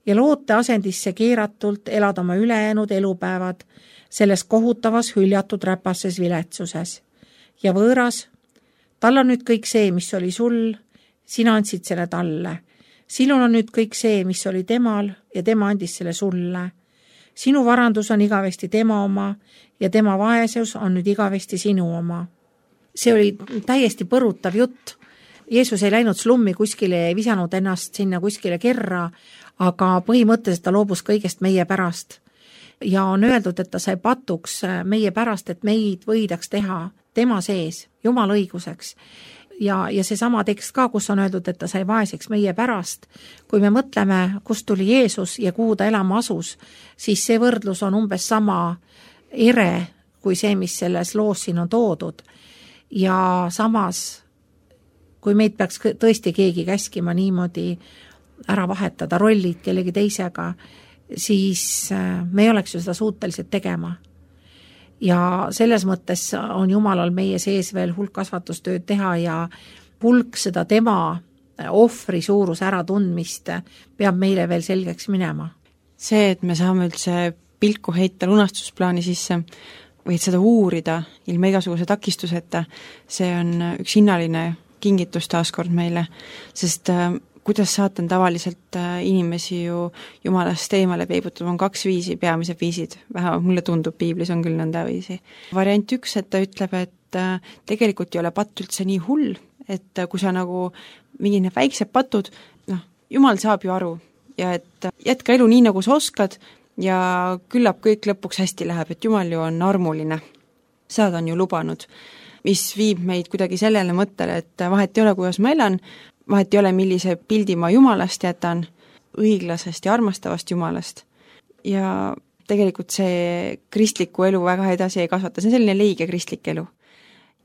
ja loote asendisse keeratult elad oma ülejäänud elupäevad selles kohutavas hüljatud räpases viletsuses. Ja võõras, tal on nüüd kõik see, mis oli sul, sina andsid selle talle. Sinul on nüüd kõik see, mis oli temal ja tema andis selle sulle. Sinu varandus on igavesti tema oma ja tema vaesus on nüüd igavesti sinu oma. See oli täiesti põrutav jutt. Jeesus ei läinud slummi kuskile, ei visanud ennast sinna kuskile kerra, aga põhimõtteliselt ta loobus kõigest meie pärast. Ja on öeldud, et ta sai patuks meie pärast, et meid võidaks teha tema sees, Jumala õiguseks. Ja seesama tekst ka, kus on öeldud, et ta sai vaeseks meie pärast. Kui me mõtleme, kust tuli Jeesus ja kuhu ta elama asus, siis see võrdlus on umbes sama ere kui see, mis selles loos siin on toodud. Ja samas, kui meid peaks tõesti keegi käskima niimoodi ära vahetada rollid kellegi teisega, siis me ei oleks ju seda suutelised tegema. Ja selles mõttes on Jumalal meie sees veel hulk kasvatustööd teha ja hulk seda tema ohvri suuruse ära tundmist peab meile veel selgeks minema. See, et me saame üldse pilku heita lunastusplaani sisse või et seda uurida ilma igasuguse takistuseta, see on üks hinnaline kingitus taaskord meile, sest kuidas saatan tavaliselt inimesi ju Jumalast eemale peibutab, on 2 viisi, peamised viisid, vähemalt mulle tundub, piiblis on küll nõnda viisi. Variant 1, et ta ütleb, et tegelikult ei ole patt üldse nii hull, et kui sa nagu mingid need väiksed patud, Jumal saab ju aru ja et jätka elu nii, nagu sa oskad ja küllap kõik lõpuks hästi läheb, et Jumal ju on armuline. Seda ta on ju lubanud, mis viib meid kuidagi sellele mõttele, et vahet ei ole, kuidas ma elan, vahet ei ole, millise pildi ma Jumalast jätan, õiglasest ja armastavast Jumalast. Ja tegelikult see kristliku elu väga edasi ei kasvata, see on selline leige kristlik elu.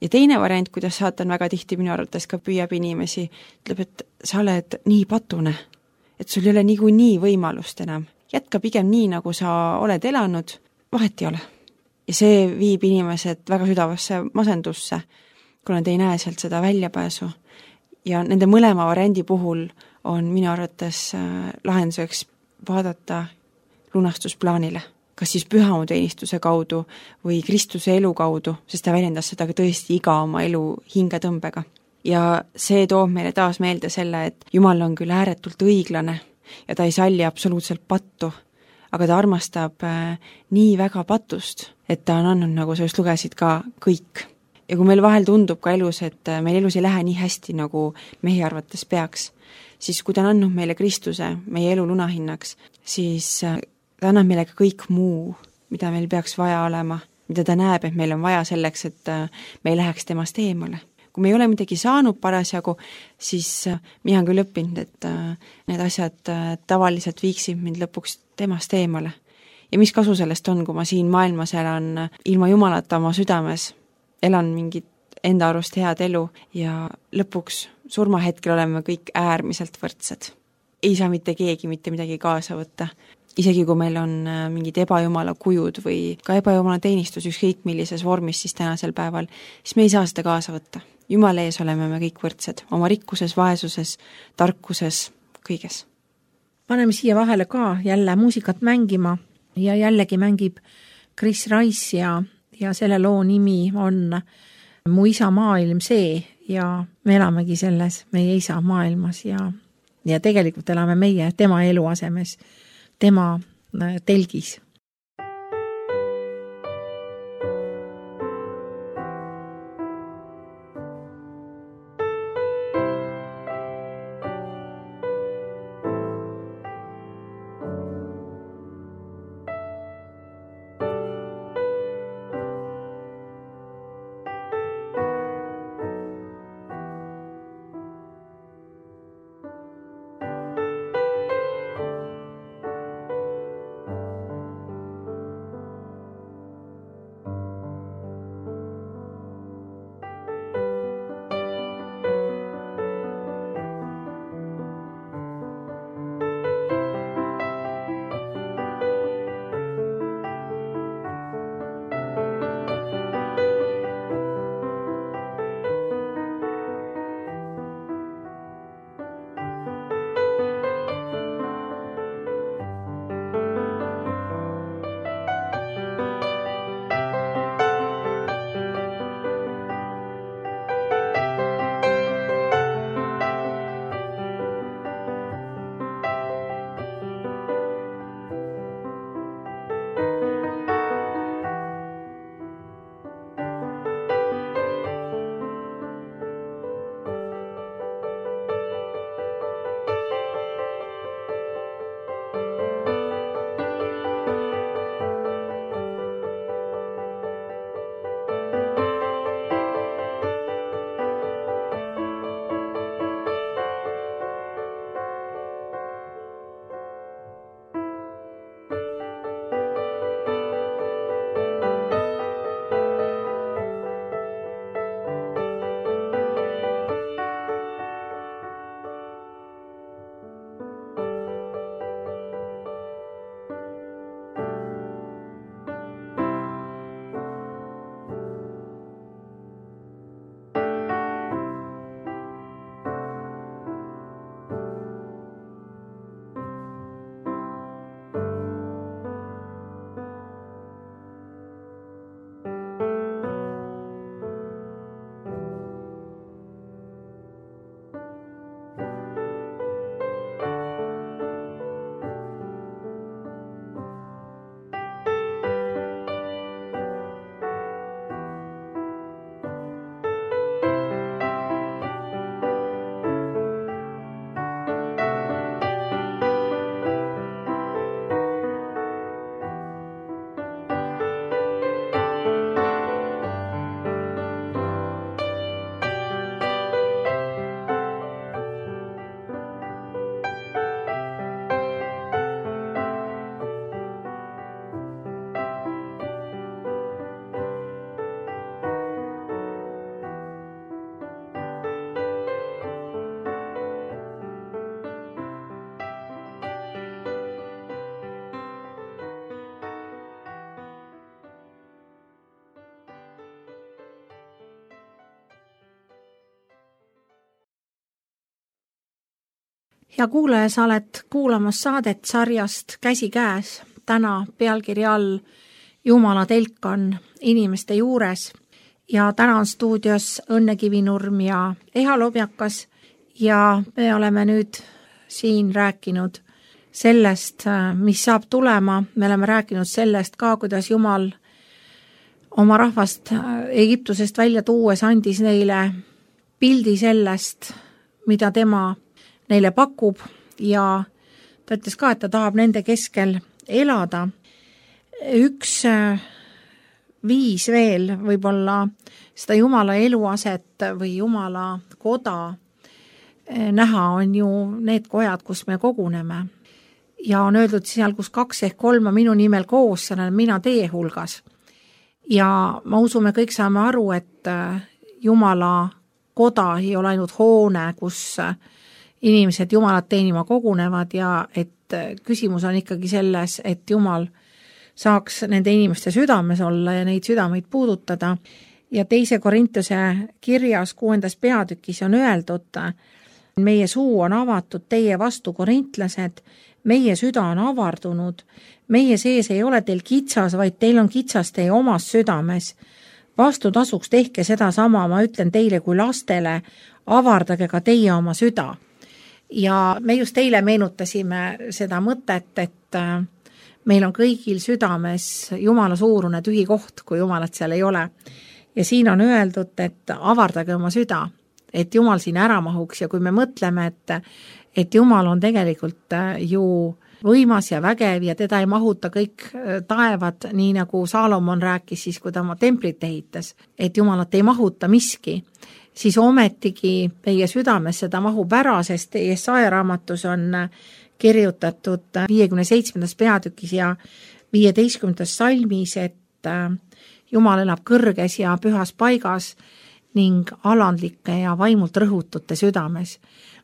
Ja teine variant, kuidas saatan väga tihti minu arvates ka püüab inimesi, ütleb, et sa oled nii patune, et sul ei ole nii võimalust enam. Jätka pigem nii, nagu sa oled elanud, vahet ei ole. Ja see viib inimesed väga südavasse masendusse, kuna te ei näe sealt seda väljapääsu. Ja nende mõlema variandi puhul on minu arvates lahenduseks vaadata lunastusplaanile, kas siis pühamuteenistuse kaudu või Kristuse elu kaudu, sest ta väljendas seda ka tõesti iga oma elu hingetõmbega. Ja see toob meile taas meelde selle, et Jumal on küll ääretult õiglane ja ta ei salli absoluutselt pattu, aga ta armastab nii väga patust, et ta on andnud, nagu sa just lugesid ka, kõik. Ja kui meil vahel tundub ka elus, et meil elus ei lähe nii hästi, nagu mehi arvates peaks, siis kui ta on andnud meile Kristuse, meie elu lunahinnaks, siis ta annab meile ka kõik muu, mida meil peaks vaja olema, mida ta näeb, et meil on vaja selleks, et me ei läheks temast eemale. Kui me ei ole midagi saanud parasjagu, siis mina olen küll õppinud, et need asjad tavaliselt viiksid mind lõpuks temast eemale. Ja mis kasu sellest on, kui ma siin maailmas elan ilma Jumalata oma südames, elan mingit enda arust head elu ja lõpuks surmahetkel oleme kõik äärmiselt võrdsed. Ei saa mitte keegi mitte midagi kaasa võtta. isegi kui meil on mingid ebajumala kujud või ka ebajumala teenistus ükskõik millises vormis siis tänasel päeval, siis me ei saa seda kaasa võtta. Jumala ees oleme me kõik võrdsed, oma rikkuses, vaesuses, tarkuses, kõiges. Paneme siia vahele ka jälle muusikat mängima ja jällegi mängib Chris Rice ja selle loo nimi on Mu isa maailm see ja me elamegi selles meie isa maailmas ja tegelikult elame meie tema elu asemes, tema telgis. Hea kuulaja, sa oled kuulamas saadet sarjast Käsikäes, täna pealkirja all Jumala telk on inimeste juures ja täna on stuudios Õnne Kivinurm ja Eha Lobjakas ja me oleme nüüd siin rääkinud sellest, mis saab tulema. Me oleme rääkinud sellest ka, kuidas Jumal oma rahvast Egiptusest välja tuues andis neile pildi sellest, mida tema neile pakub ja ta ütles ka, et ta tahab nende keskel elada. Üks viis veel võib-olla seda Jumala eluaset või Jumala koda näha on ju need kojad, kus me koguneme. Ja on öeldud seal, kus 2 ehk 3 on minu nimel koos, seal olen mina teie hulgas. Ja ma usume, kõik saame aru, et Jumala koda ei ole ainult hoone, kus inimesed Jumalat teenima kogunevad ja et küsimus on ikkagi selles, et Jumal saaks nende inimeste südames olla ja neid südameid puudutada. Ja 2. Korintuse kirjas 6. peatükis on öeldud, meie suu on avatud teie vastu, korintlased, meie süda on avardunud, meie sees ei ole teil kitsas, vaid teil on kitsas teie omas südames. Vastutasuks tehke seda sama, ma ütlen teile kui lastele, avardage ka teie oma süda. Ja me just eile meenutasime seda mõtet, et meil on kõigil südames Jumala suurune tühi koht, kui Jumalat seal ei ole. Ja siin on öeldud, et avardage oma süda, et Jumal siin ära mahuks ja kui me mõtleme, et Jumal on tegelikult ju võimas ja vägev ja teda ei mahuta kõik taevad, nii nagu Saalomon rääkis siis, kui ta oma templit ehitas, et Jumalat ei mahuta miski, siis ometigi meie südames seda mahub ära, sest Jesaja raamatus on kirjutatud 57. peatükis ja 15. salmis, et Jumal elab kõrges ja pühas paigas ning alandlike ja vaimult rõhutute südames.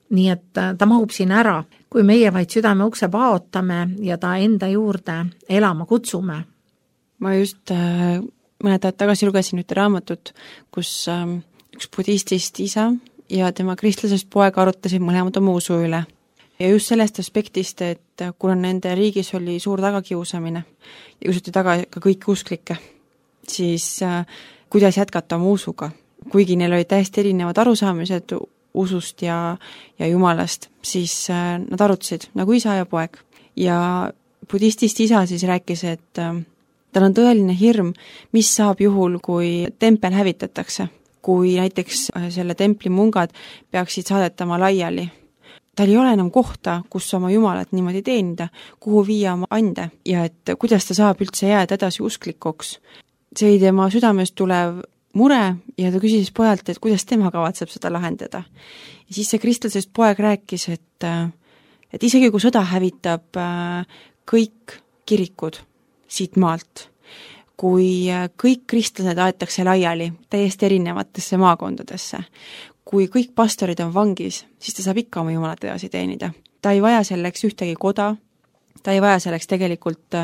Nii et ta mahub siin ära, kui meie vaid südame ukse paotame ja ta enda juurde elama kutsume. Ma just mõned ajad tagasi lugesin ühte raamatut, kus üks budistist isa ja tema kristlasest poeg arutasid mõlemad oma usu üle. Ja just sellest aspektist, et kuna nende riigis oli suur tagakiusamine ja kiusati taga ka kõiki usklikke, siis kuidas jätkata oma usuga? Kuigi neil olid täiesti erinevad arusaamised usust ja Jumalast, siis nad arutasid nagu isa ja poeg. Ja budistist isa siis rääkis, et tal on tõeline hirm, mis saab juhul, kui tempel hävitatakse. Kui näiteks selle templi mungad peaksid saadetama laiali. Tal ei ole enam kohta, kus oma Jumalat niimoodi teenida, kuhu viia oma ande ja et kuidas ta saab üldse jääda edasi usklikuks. See oli tema südamest tulev mure ja ta küsis pojalt, et kuidas tema kavatseb seda lahendada. Ja siis see kristlasest poeg rääkis, et isegi kui sõda hävitab kõik kirikud siit maalt, kui kõik kristlased aetakse laiali täiesti erinevatesse maakondadesse, kui kõik pastorid on vangis, siis ta saab ikka oma Jumalat edasi teenida. Ta ei vaja selleks ühtegi koda, ta ei vaja selleks tegelikult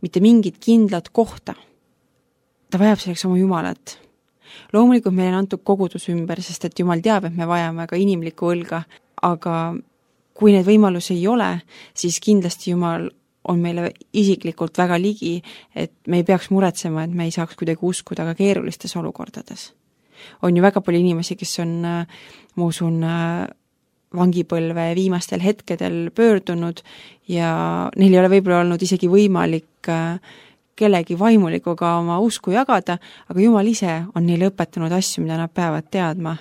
mitte mingit kindlat kohta. Ta vajab selleks oma Jumalat. Loomulikult meil on antud kogudus ümber, sest et Jumal teab, et me vajame ka inimlikku õlga, aga kui need võimalusi ei ole, siis kindlasti Jumal on meile isiklikult väga ligi, et me ei peaks muretsema, et me ei saaks kuidagi uskuda ka keerulistes olukordades. On ju väga palju inimesi, kes on, ma usun, vangipõlve viimastel hetkedel pöördunud ja neil ei ole võib-olla olnud isegi võimalik kellegi vaimulikuga oma usku jagada, aga Jumal ise on neile õpetanud asju, mida nad peavad teadma.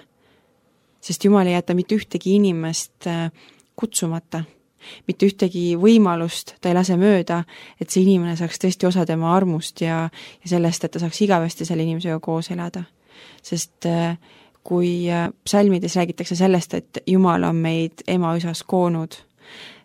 Sest Jumal ei jäta mitte ühtegi inimest kutsumata, mitte ühtegi võimalust ta ei lase mööda, et see inimene saaks tõesti osa tema armust ja sellest, et ta saaks igavesti selle inimesega koos elada. Sest kui psalmides räägitakse sellest, et Jumal on meid ema-üsas koonud,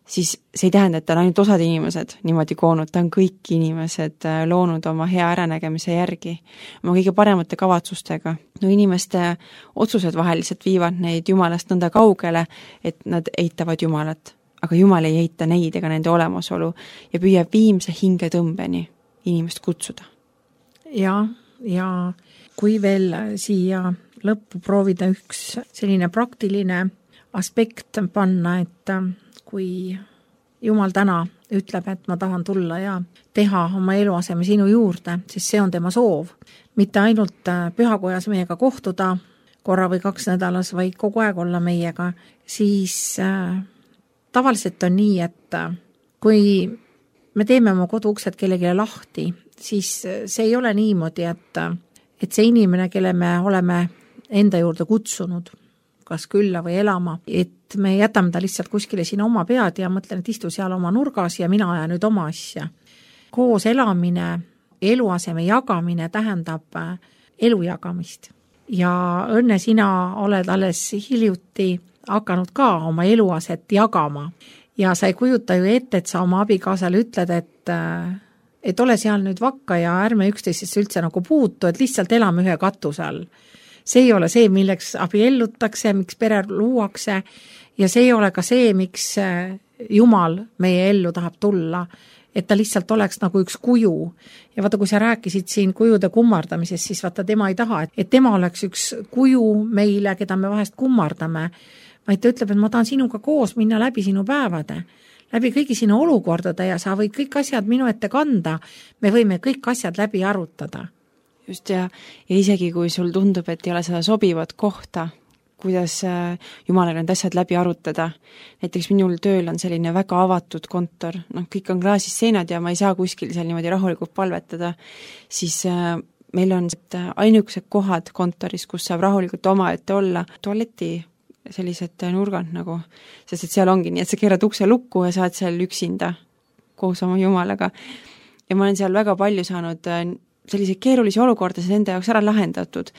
siis see ei tähenda, et ta on ainult osad inimesed niimoodi koonud, ta on kõik inimesed loonud oma hea äranägemise järgi, oma kõige paremate kavatsustega. No inimeste otsused vaheliselt viivad neid Jumalast nõnda kaugele, et nad eitavad Jumalat, aga Jumal ei eita neid ega nende olemasolu ja püüab viimse hingetõmbeni inimest kutsuda. Ja kui veel siia lõppu proovida üks selline praktiline aspekt panna, et kui Jumal täna ütleb, et ma tahan tulla ja teha oma eluaseme sinu juurde, siis see on tema soov. Mitte ainult pühakojas meiega kohtuda korra või 2 nädalas, vaid kogu aeg olla meiega, siis tavaliselt on nii, et kui me teeme oma koduuksed kellelegi lahti, siis see ei ole niimoodi, et see inimene, kelle me oleme enda juurde kutsunud, kas külla või elama, et me jätame ta lihtsalt kuskile sinna oma pead ja mõtlen, et istu seal oma nurgas ja mina ajan nüüd oma asja. Koos elamine, eluaseme jagamine tähendab elu jagamist. Ja õnne sina oled alles hiljuti hakanud ka oma eluaset jagama. Ja sa ei kujuta ju ette, et sa oma abikaasale ütled, et ole seal nüüd vakka ja ärme üksteisest üldse nagu puutu, et lihtsalt elame ühe katuse all. See ei ole see, milleks abiellutakse, miks pere luuakse ja see ei ole ka see, miks Jumal meie ellu tahab tulla, et ta lihtsalt oleks nagu üks kuju. Ja vaata, kui sa rääkisid siin kujude kummardamisest, siis vaata, tema ei taha, et tema oleks üks kuju meile, keda me vahest kummardame, vaid ta ütleb, et ma tahan sinuga koos minna läbi sinu päevade, läbi kõigi sinu olukordade ja sa võid kõik asjad minu ette kanda, me võime kõik asjad läbi arutada. Just ja isegi kui sul tundub, et ei ole seda sobivat kohta, kuidas Jumalaga need asjad läbi arutada. Näiteks minul tööl on selline väga avatud kontor, kõik on klaasist seinad ja ma ei saa kuskil seal niimoodi rahulikult palvetada, siis meil on ainukesed kohad kontoris, kus saab rahulikult omaette olla, tualeti sellised nurgad nagu, sest et seal ongi nii, et sa keerad ukse lukku ja saad seal üksinda koos oma Jumalaga. Ja ma olen seal väga palju saanud selliseid keerulisi olukordasid enda jaoks ära lahendatud,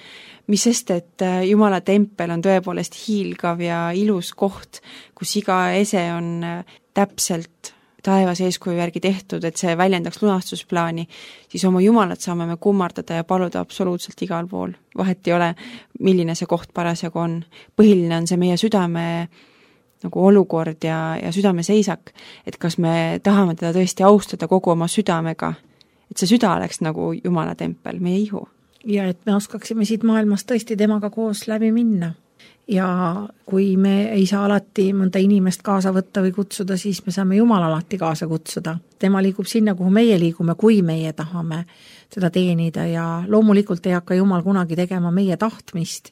mis sest, et Jumala tempel on tõepoolest hiilgav ja ilus koht, kus iga ese on täpselt taevas eeskuju järgi tehtud, et see väljendaks lunastusplaani, siis oma Jumalat saame me kummardada ja paluda absoluutselt igal pool. Vahet ei ole, milline see koht parasjagu on. Põhiline on see meie südame nagu olukord ja südame seisak, et kas me tahame teda tõesti austada kogu oma südamega, et see süda oleks nagu Jumala tempel, meie ihu. Ja et me oskaksime siit maailmast tõesti temaga koos läbi minna. Ja kui me ei saa alati mõnda inimest kaasa võtta või kutsuda, siis me saame Jumala alati kaasa kutsuda. Tema liigub sinna, kuhu meie liigume, kui meie tahame seda teenida ja loomulikult ei hakka Jumal kunagi tegema meie tahtmist.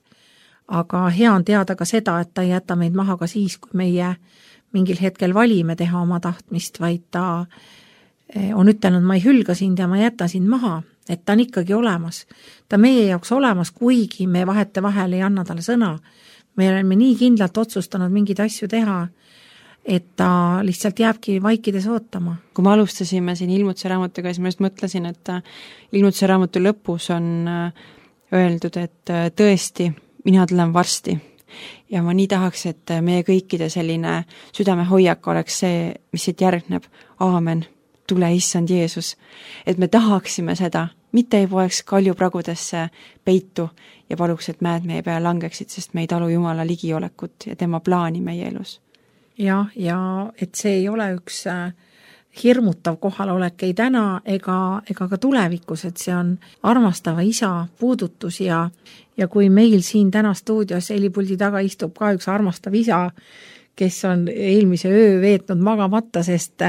Aga hea on teada ka seda, et ta ei jäta meid maha ka siis, kui meie mingil hetkel valime teha oma tahtmist, vaid ta on ütelnud, ma ei hülga sind ja ma jäta sind maha, et ta on ikkagi olemas. Ta meie jaoks olemas, kuigi me vahete vahel ei anna talle sõna. Me oleme nii kindlalt otsustanud mingeid asju teha, et ta lihtsalt jääbki vaikides ootama. Kui me alustasime siin Ilmutuse raamatuga, siis ma just mõtlesin, et Ilmutuse raamatu lõpus on öeldud, et tõesti, mina tulen varsti. Ja ma nii tahaks, et meie kõikide selline südamehoiak oleks see, mis siit järgneb. Aamen. Tule issand Jeesus, et me tahaksime seda, mitte ei poeks kaljupragudesse peitu ja paluks, et mäed meie peale langeksid, sest me ei talu Jumala ligiolekut ja tema plaani meie elus. Ja et see ei ole üks hirmutav kohalolek ei täna ega ka tulevikus, et see on armastava isa puudutus ja kui meil siin täna stuudios helipuldi taga istub ka üks armastav isa, kes on eelmise öö veetnud magamata, sest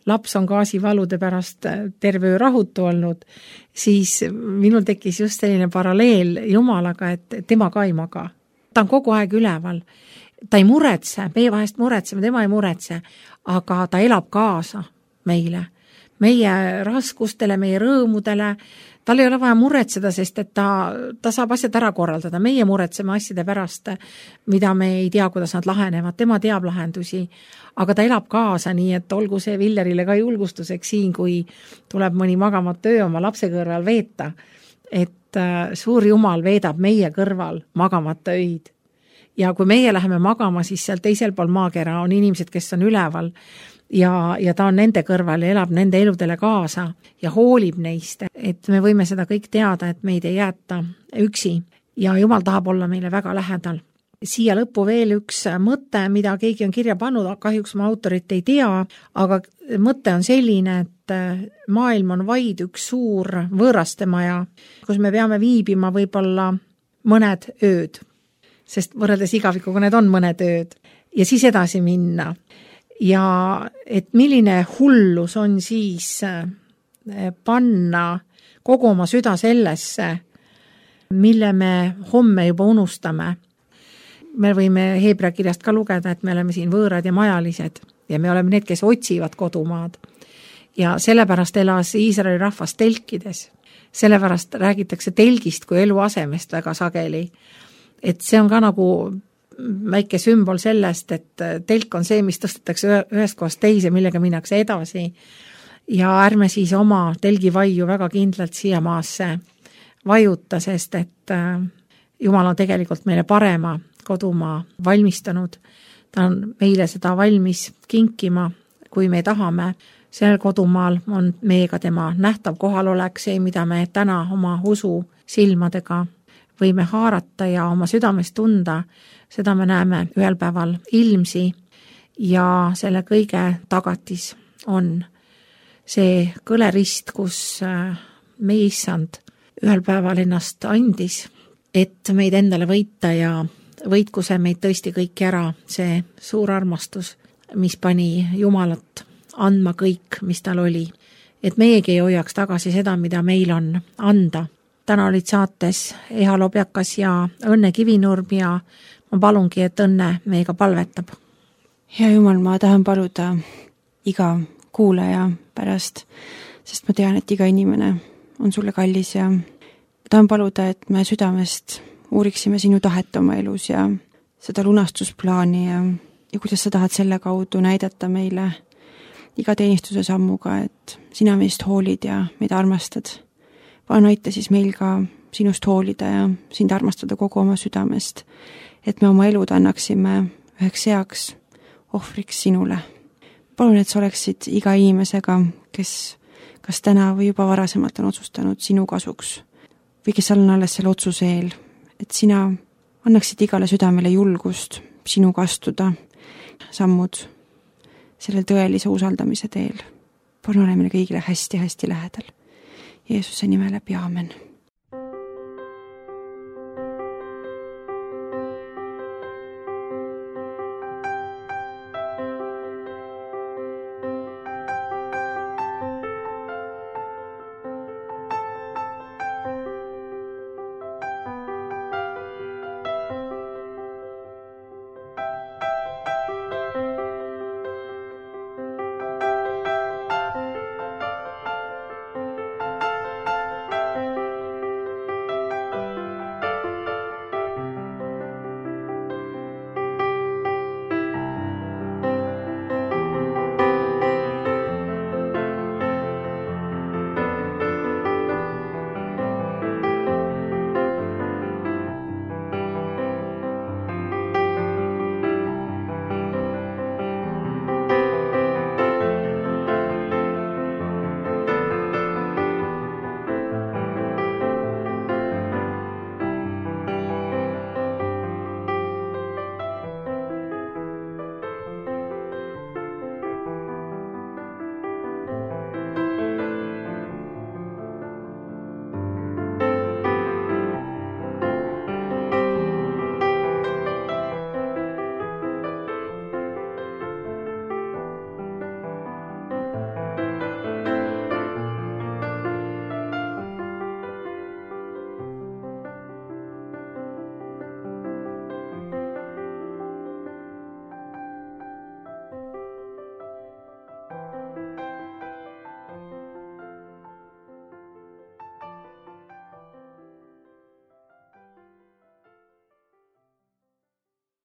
laps on gaasivalude pärast terve öö rahutu olnud, siis minul tekkis just selline paralleel Jumalaga, et tema ka ei maga. Ta on kogu aeg üleval. Ta ei muretse, meie vahest muretseme, tema ei muretse, aga ta elab kaasa meile, meie raskustele, meie rõõmudele. Tal ei ole vaja muretseda, sest et ta saab asjad ära korraldada. Meie muretseme asjade pärast, mida me ei tea, kuidas nad lahenevad. Tema teab lahendusi, aga ta elab kaasa, nii et olgu see Villerile ka julgustuseks siin, kui tuleb mõni magamata öö oma lapse kõrval veeta, et suur Jumal veedab meie kõrval magamata öid. Ja kui meie läheme magama, siis seal teisel pool maakera on inimesed, kes on üleval ja ta on nende kõrval ja elab nende eludele kaasa ja hoolib neist, et me võime seda kõik teada, et meid ei jäeta üksi ja Jumal tahab olla meile väga lähedal. Siia lõppu veel üks mõte, mida keegi on kirja pannud, kahjuks ma autorit ei tea, aga mõte on selline, et maailm on vaid üks suur võõrastemaja, kus me peame viibima võib-olla mõned ööd, sest võrreldes igavikuga need on mõned ööd ja siis edasi minna. Ja et milline hullus on siis panna kogu oma süda sellesse, mille me homme juba unustame. Me võime Heebrea kirjast ka lugeda, et me oleme siin võõrad ja majalised ja me oleme need, kes otsivad kodumaad. Ja sellepärast elas Iisraeli rahvas telkides. Sellepärast räägitakse telgist kui eluasemest väga sageli. Et see on ka nagu väike sümbol sellest, et telk on see, mis tõstetakse ühest kohast teise, millega minnakse edasi. Ja ärme siis oma telgivaiu väga kindlalt siia maasse vajuta, sest et Jumal on tegelikult meile parema kodumaa valmistanud. Ta on meile seda valmis kinkima, kui me tahame. Sellel kodumaal on meiega tema nähtav kohalolek, see, mida me täna oma usu silmadega võime haarata ja oma südames tunda, seda me näeme ühel päeval ilmsi ja selle kõige tagatis on see kõlerist, kus meie issand ühel päeval ennast andis, et meid endale võita ja võitku see meid tõesti kõiki ära, see suur armastus, mis pani Jumalat andma kõik, mis tal oli. Et meiegi ei hoiaks tagasi seda, mida meil on anda. Täna olid saates Eha Lobjakas ja Õnne Kivinurm ja ma palungi, et Õnne meiega palvetab. Hea Jumal, ma tahan paluda iga kuulaja pärast, sest ma tean, et iga inimene on sulle kallis ja tahan paluda, et me südamest uuriksime sinu tahet oma elus ja seda lunastusplaani ja kuidas sa tahad selle kaudu näidata meile iga teenistuse sammuga, et sina meist hoolid ja meid armastad. Palun aita siis meil ka sinust hoolida ja sind armastada kogu oma südamest, et me oma elud annaksime üheks heaks ohvriks sinule. Palun, et sa oleksid iga inimesega, kes kas täna või juba varasemalt on otsustanud sinu kasuks või kes on alles selle otsuse eel, et sina annaksid igale südamele julgust sinuga astuda sammud sellel tõelise usaldamise teel. Palun ole meile kõigile hästi-hästi lähedal. Jeesuse nime läbi, aamen.